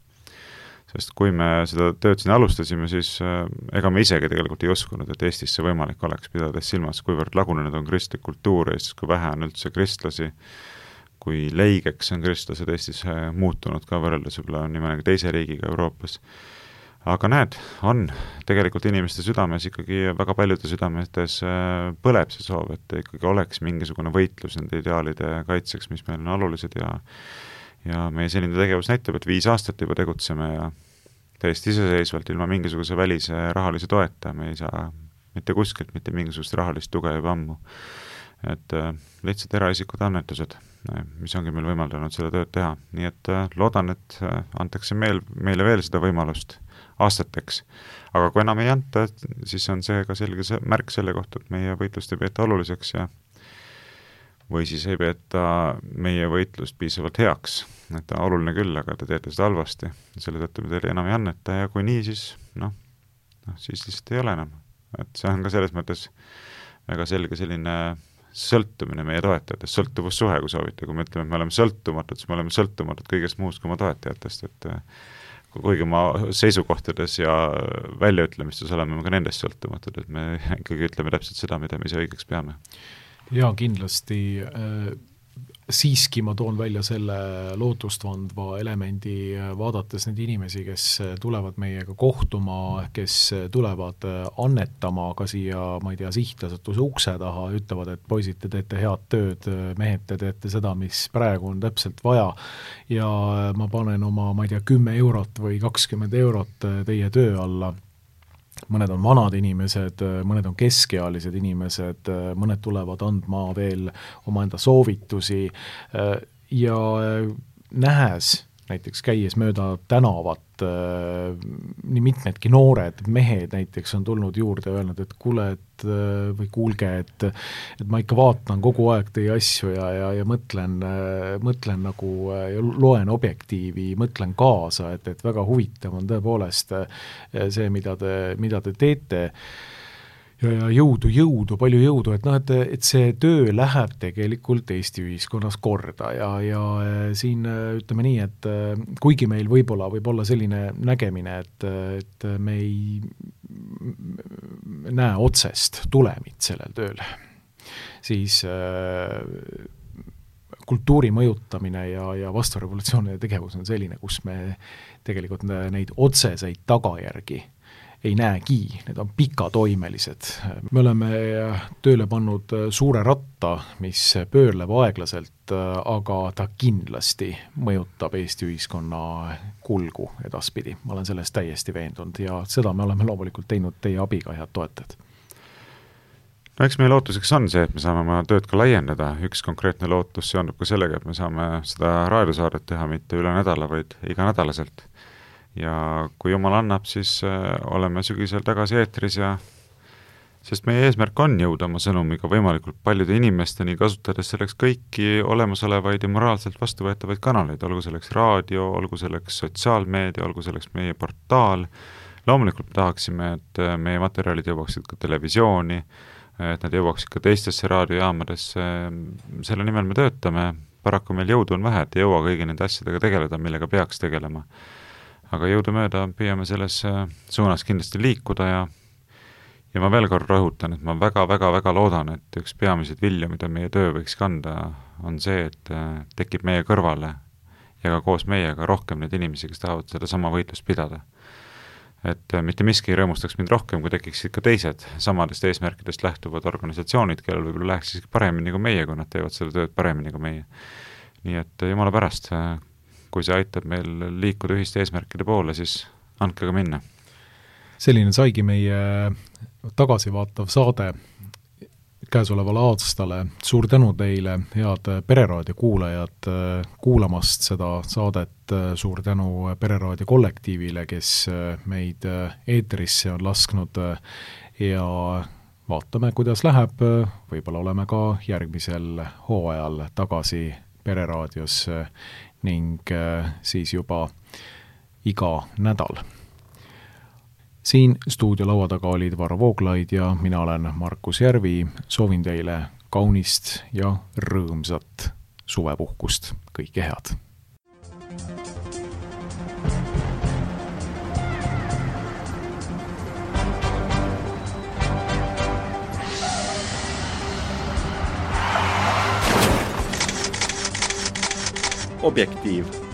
Sest kui me seda tööd siin alustasime, siis ega me isegi tegelikult ei uskunud, et Eestis see võimalik oleks, pidades silmas, kuivõrd lagunenud on kristlik kultuur Eestis, kui vähe on üldse kristlasi, kui leigeks on kristlased Eestis muutunud ka võrreldes võib-olla nii mõnegi teise riigiga Euroopas. Aga näed, on tegelikult inimeste südames ikkagi väga paljude südametes põleb see soov, et ikkagi oleks mingisugune võitlus nende ideaalide kaitseks, mis meil on olulised ja meie selline tegevus näitab, et 5 aastat juba tegutseme ja täiesti iseseisvalt ilma mingisuguse välise rahalise toeta, me ei saa mitte kuskilt, mitte mingisugust rahalist tuge juba ammu. Et lihtsalt eraisikud annetused, mis ongi meil võimaldanud seda tööd teha. Nii et loodan, et antakse meile veel seda võimalust aastateks. Aga kui enam ei anta, siis on see ka selge märk selle kohta, et meie võitlust ei peeta oluliseks ja või siis ei peeta meie võitlust piisavalt heaks. Et oluline küll, aga te teete seda halvasti. Selle tõttu me teile enam ei anneta ja kui nii, siis siis lihtsalt ei ole enam. Et see on ka selles mõttes väga selge selline sõltumine meie toetajatest, sõltuvussuhe, kui soovite, kui me ütleme, et me oleme sõltumatud, siis me oleme sõltumatud kõigest muust kui oma toetajatest, et kuigi oma seisukohtades ja väljaütlemistes oleme ka nendest sõltumatud, et me ikkagi ütleme täpselt seda, mida me ise õigeks peame. Jaa, kindlasti siiski ma toon välja selle lootustandva elemendi, vaadates neid inimesi, kes tulevad meiega kohtuma, kes tulevad annetama ka siia, ma ei tea, sihtasutuse ukse taha, ütlevad, et poisid, te teete head tööd, mehed, te teete seda, mis praegu on täpselt vaja ja ma panen oma, ma ei tea, 10 eurot või 20 eurot teie töö alla. Mõned on vanad inimesed, mõned on keskealised inimesed, mõned tulevad andma veel omaenda soovitusi ja nähes, näiteks käies mööda tänavat, nii mitmedki noored mehed näiteks on tulnud juurde ja öelnud, et kuule, või kuulge, et ma ikka vaatan kogu aeg teie asju ja mõtlen nagu, loen objektiivi, mõtlen kaasa, et väga huvitav on tõepoolest see, mida te teete ja jõudu, palju jõudu, et see töö läheb tegelikult Eesti ühiskonnas korda ja siin ütleme nii, et kuigi meil võib olla selline nägemine, et me ei näe otsest tulemit sellel tööl, siis kultuuri mõjutamine ja vasturevolutsioonide tegevus on selline, kus me tegelikult neid otseseid tagajärgi ei näegi, need on pikatoimelised. Me oleme tööle pannud suure ratta, mis pöörleb aeglaselt, aga ta kindlasti mõjutab Eesti ühiskonna kulgu edaspidi. Ma olen sellest täiesti veendunud ja seda me oleme loomulikult teinud teie abiga, head toetajad. No eks meie lootuseks on see, et me saame oma tööd ka laiendada. Üks konkreetne lootus seondub ka sellega, et me saame seda raadiosaadet teha mitte üle nädala, vaid iganädalaselt. Ja kui jumal annab, siis oleme sügisel tagasi eetris ja sest meie eesmärk on jõuda oma sõnumiga võimalikult paljude inimesteni, kasutades selleks kõiki olemasolevaid ja moraalselt vastuvõetavaid kanaleid, olgu selleks raadio, olgu selleks sotsiaalmeedia, olgu selleks meie portaal. Loomulikult tahaksime, et meie materjalid jõuaksid ka televisiooni, et nad jõuaksid ka teistesse raadiojaamadesse. Selle nimel me töötame, paraku meil jõudu on vähe, et ei jõua kõigi nende asjadega tegeleda, millega peaks tegelema. Aga jõudumööda püüame selles suunas kindlasti liikuda ja ma veel kord rõhutan, et ma väga loodan, et üks peamiseid vilju, mida meie töö võiks kanda, on see, et tekib meie kõrvale ja ka koos meiega rohkem neid inimesi, kes tahavad seda sama võitlust pidada. Et mitte miski rõõmustaks mind rohkem, kui tekiksid ka teised samadest eesmärkidest lähtuvad organisatsioonid, kellel võib-olla läheks paremini kui meie, kui nad teevad seda tööd paremini kui meie. Nii et jumala pärast, kui see aitab meil liikuda ühiste eesmärkide poole, siis andke ka minna. Selline saigi meie tagasivaatav saade käesolevale aastale. Suur tänu teile, head Pereraadio kuulajad, kuulamast seda saadet. Suur tänu Pereraadio kollektiivile, kes meid eetrisse on lasknud ja vaatame, kuidas läheb. Võib-olla oleme ka järgmisel hooajal tagasi Pereraadios ning siis juba iga nädal. Siin stuudiolaua taga olid Varro Vooglaid ja mina olen Markus Järvi. Soovin teile kaunist ja rõõmsat suvepuhkust. Kõike head! Objektiiv.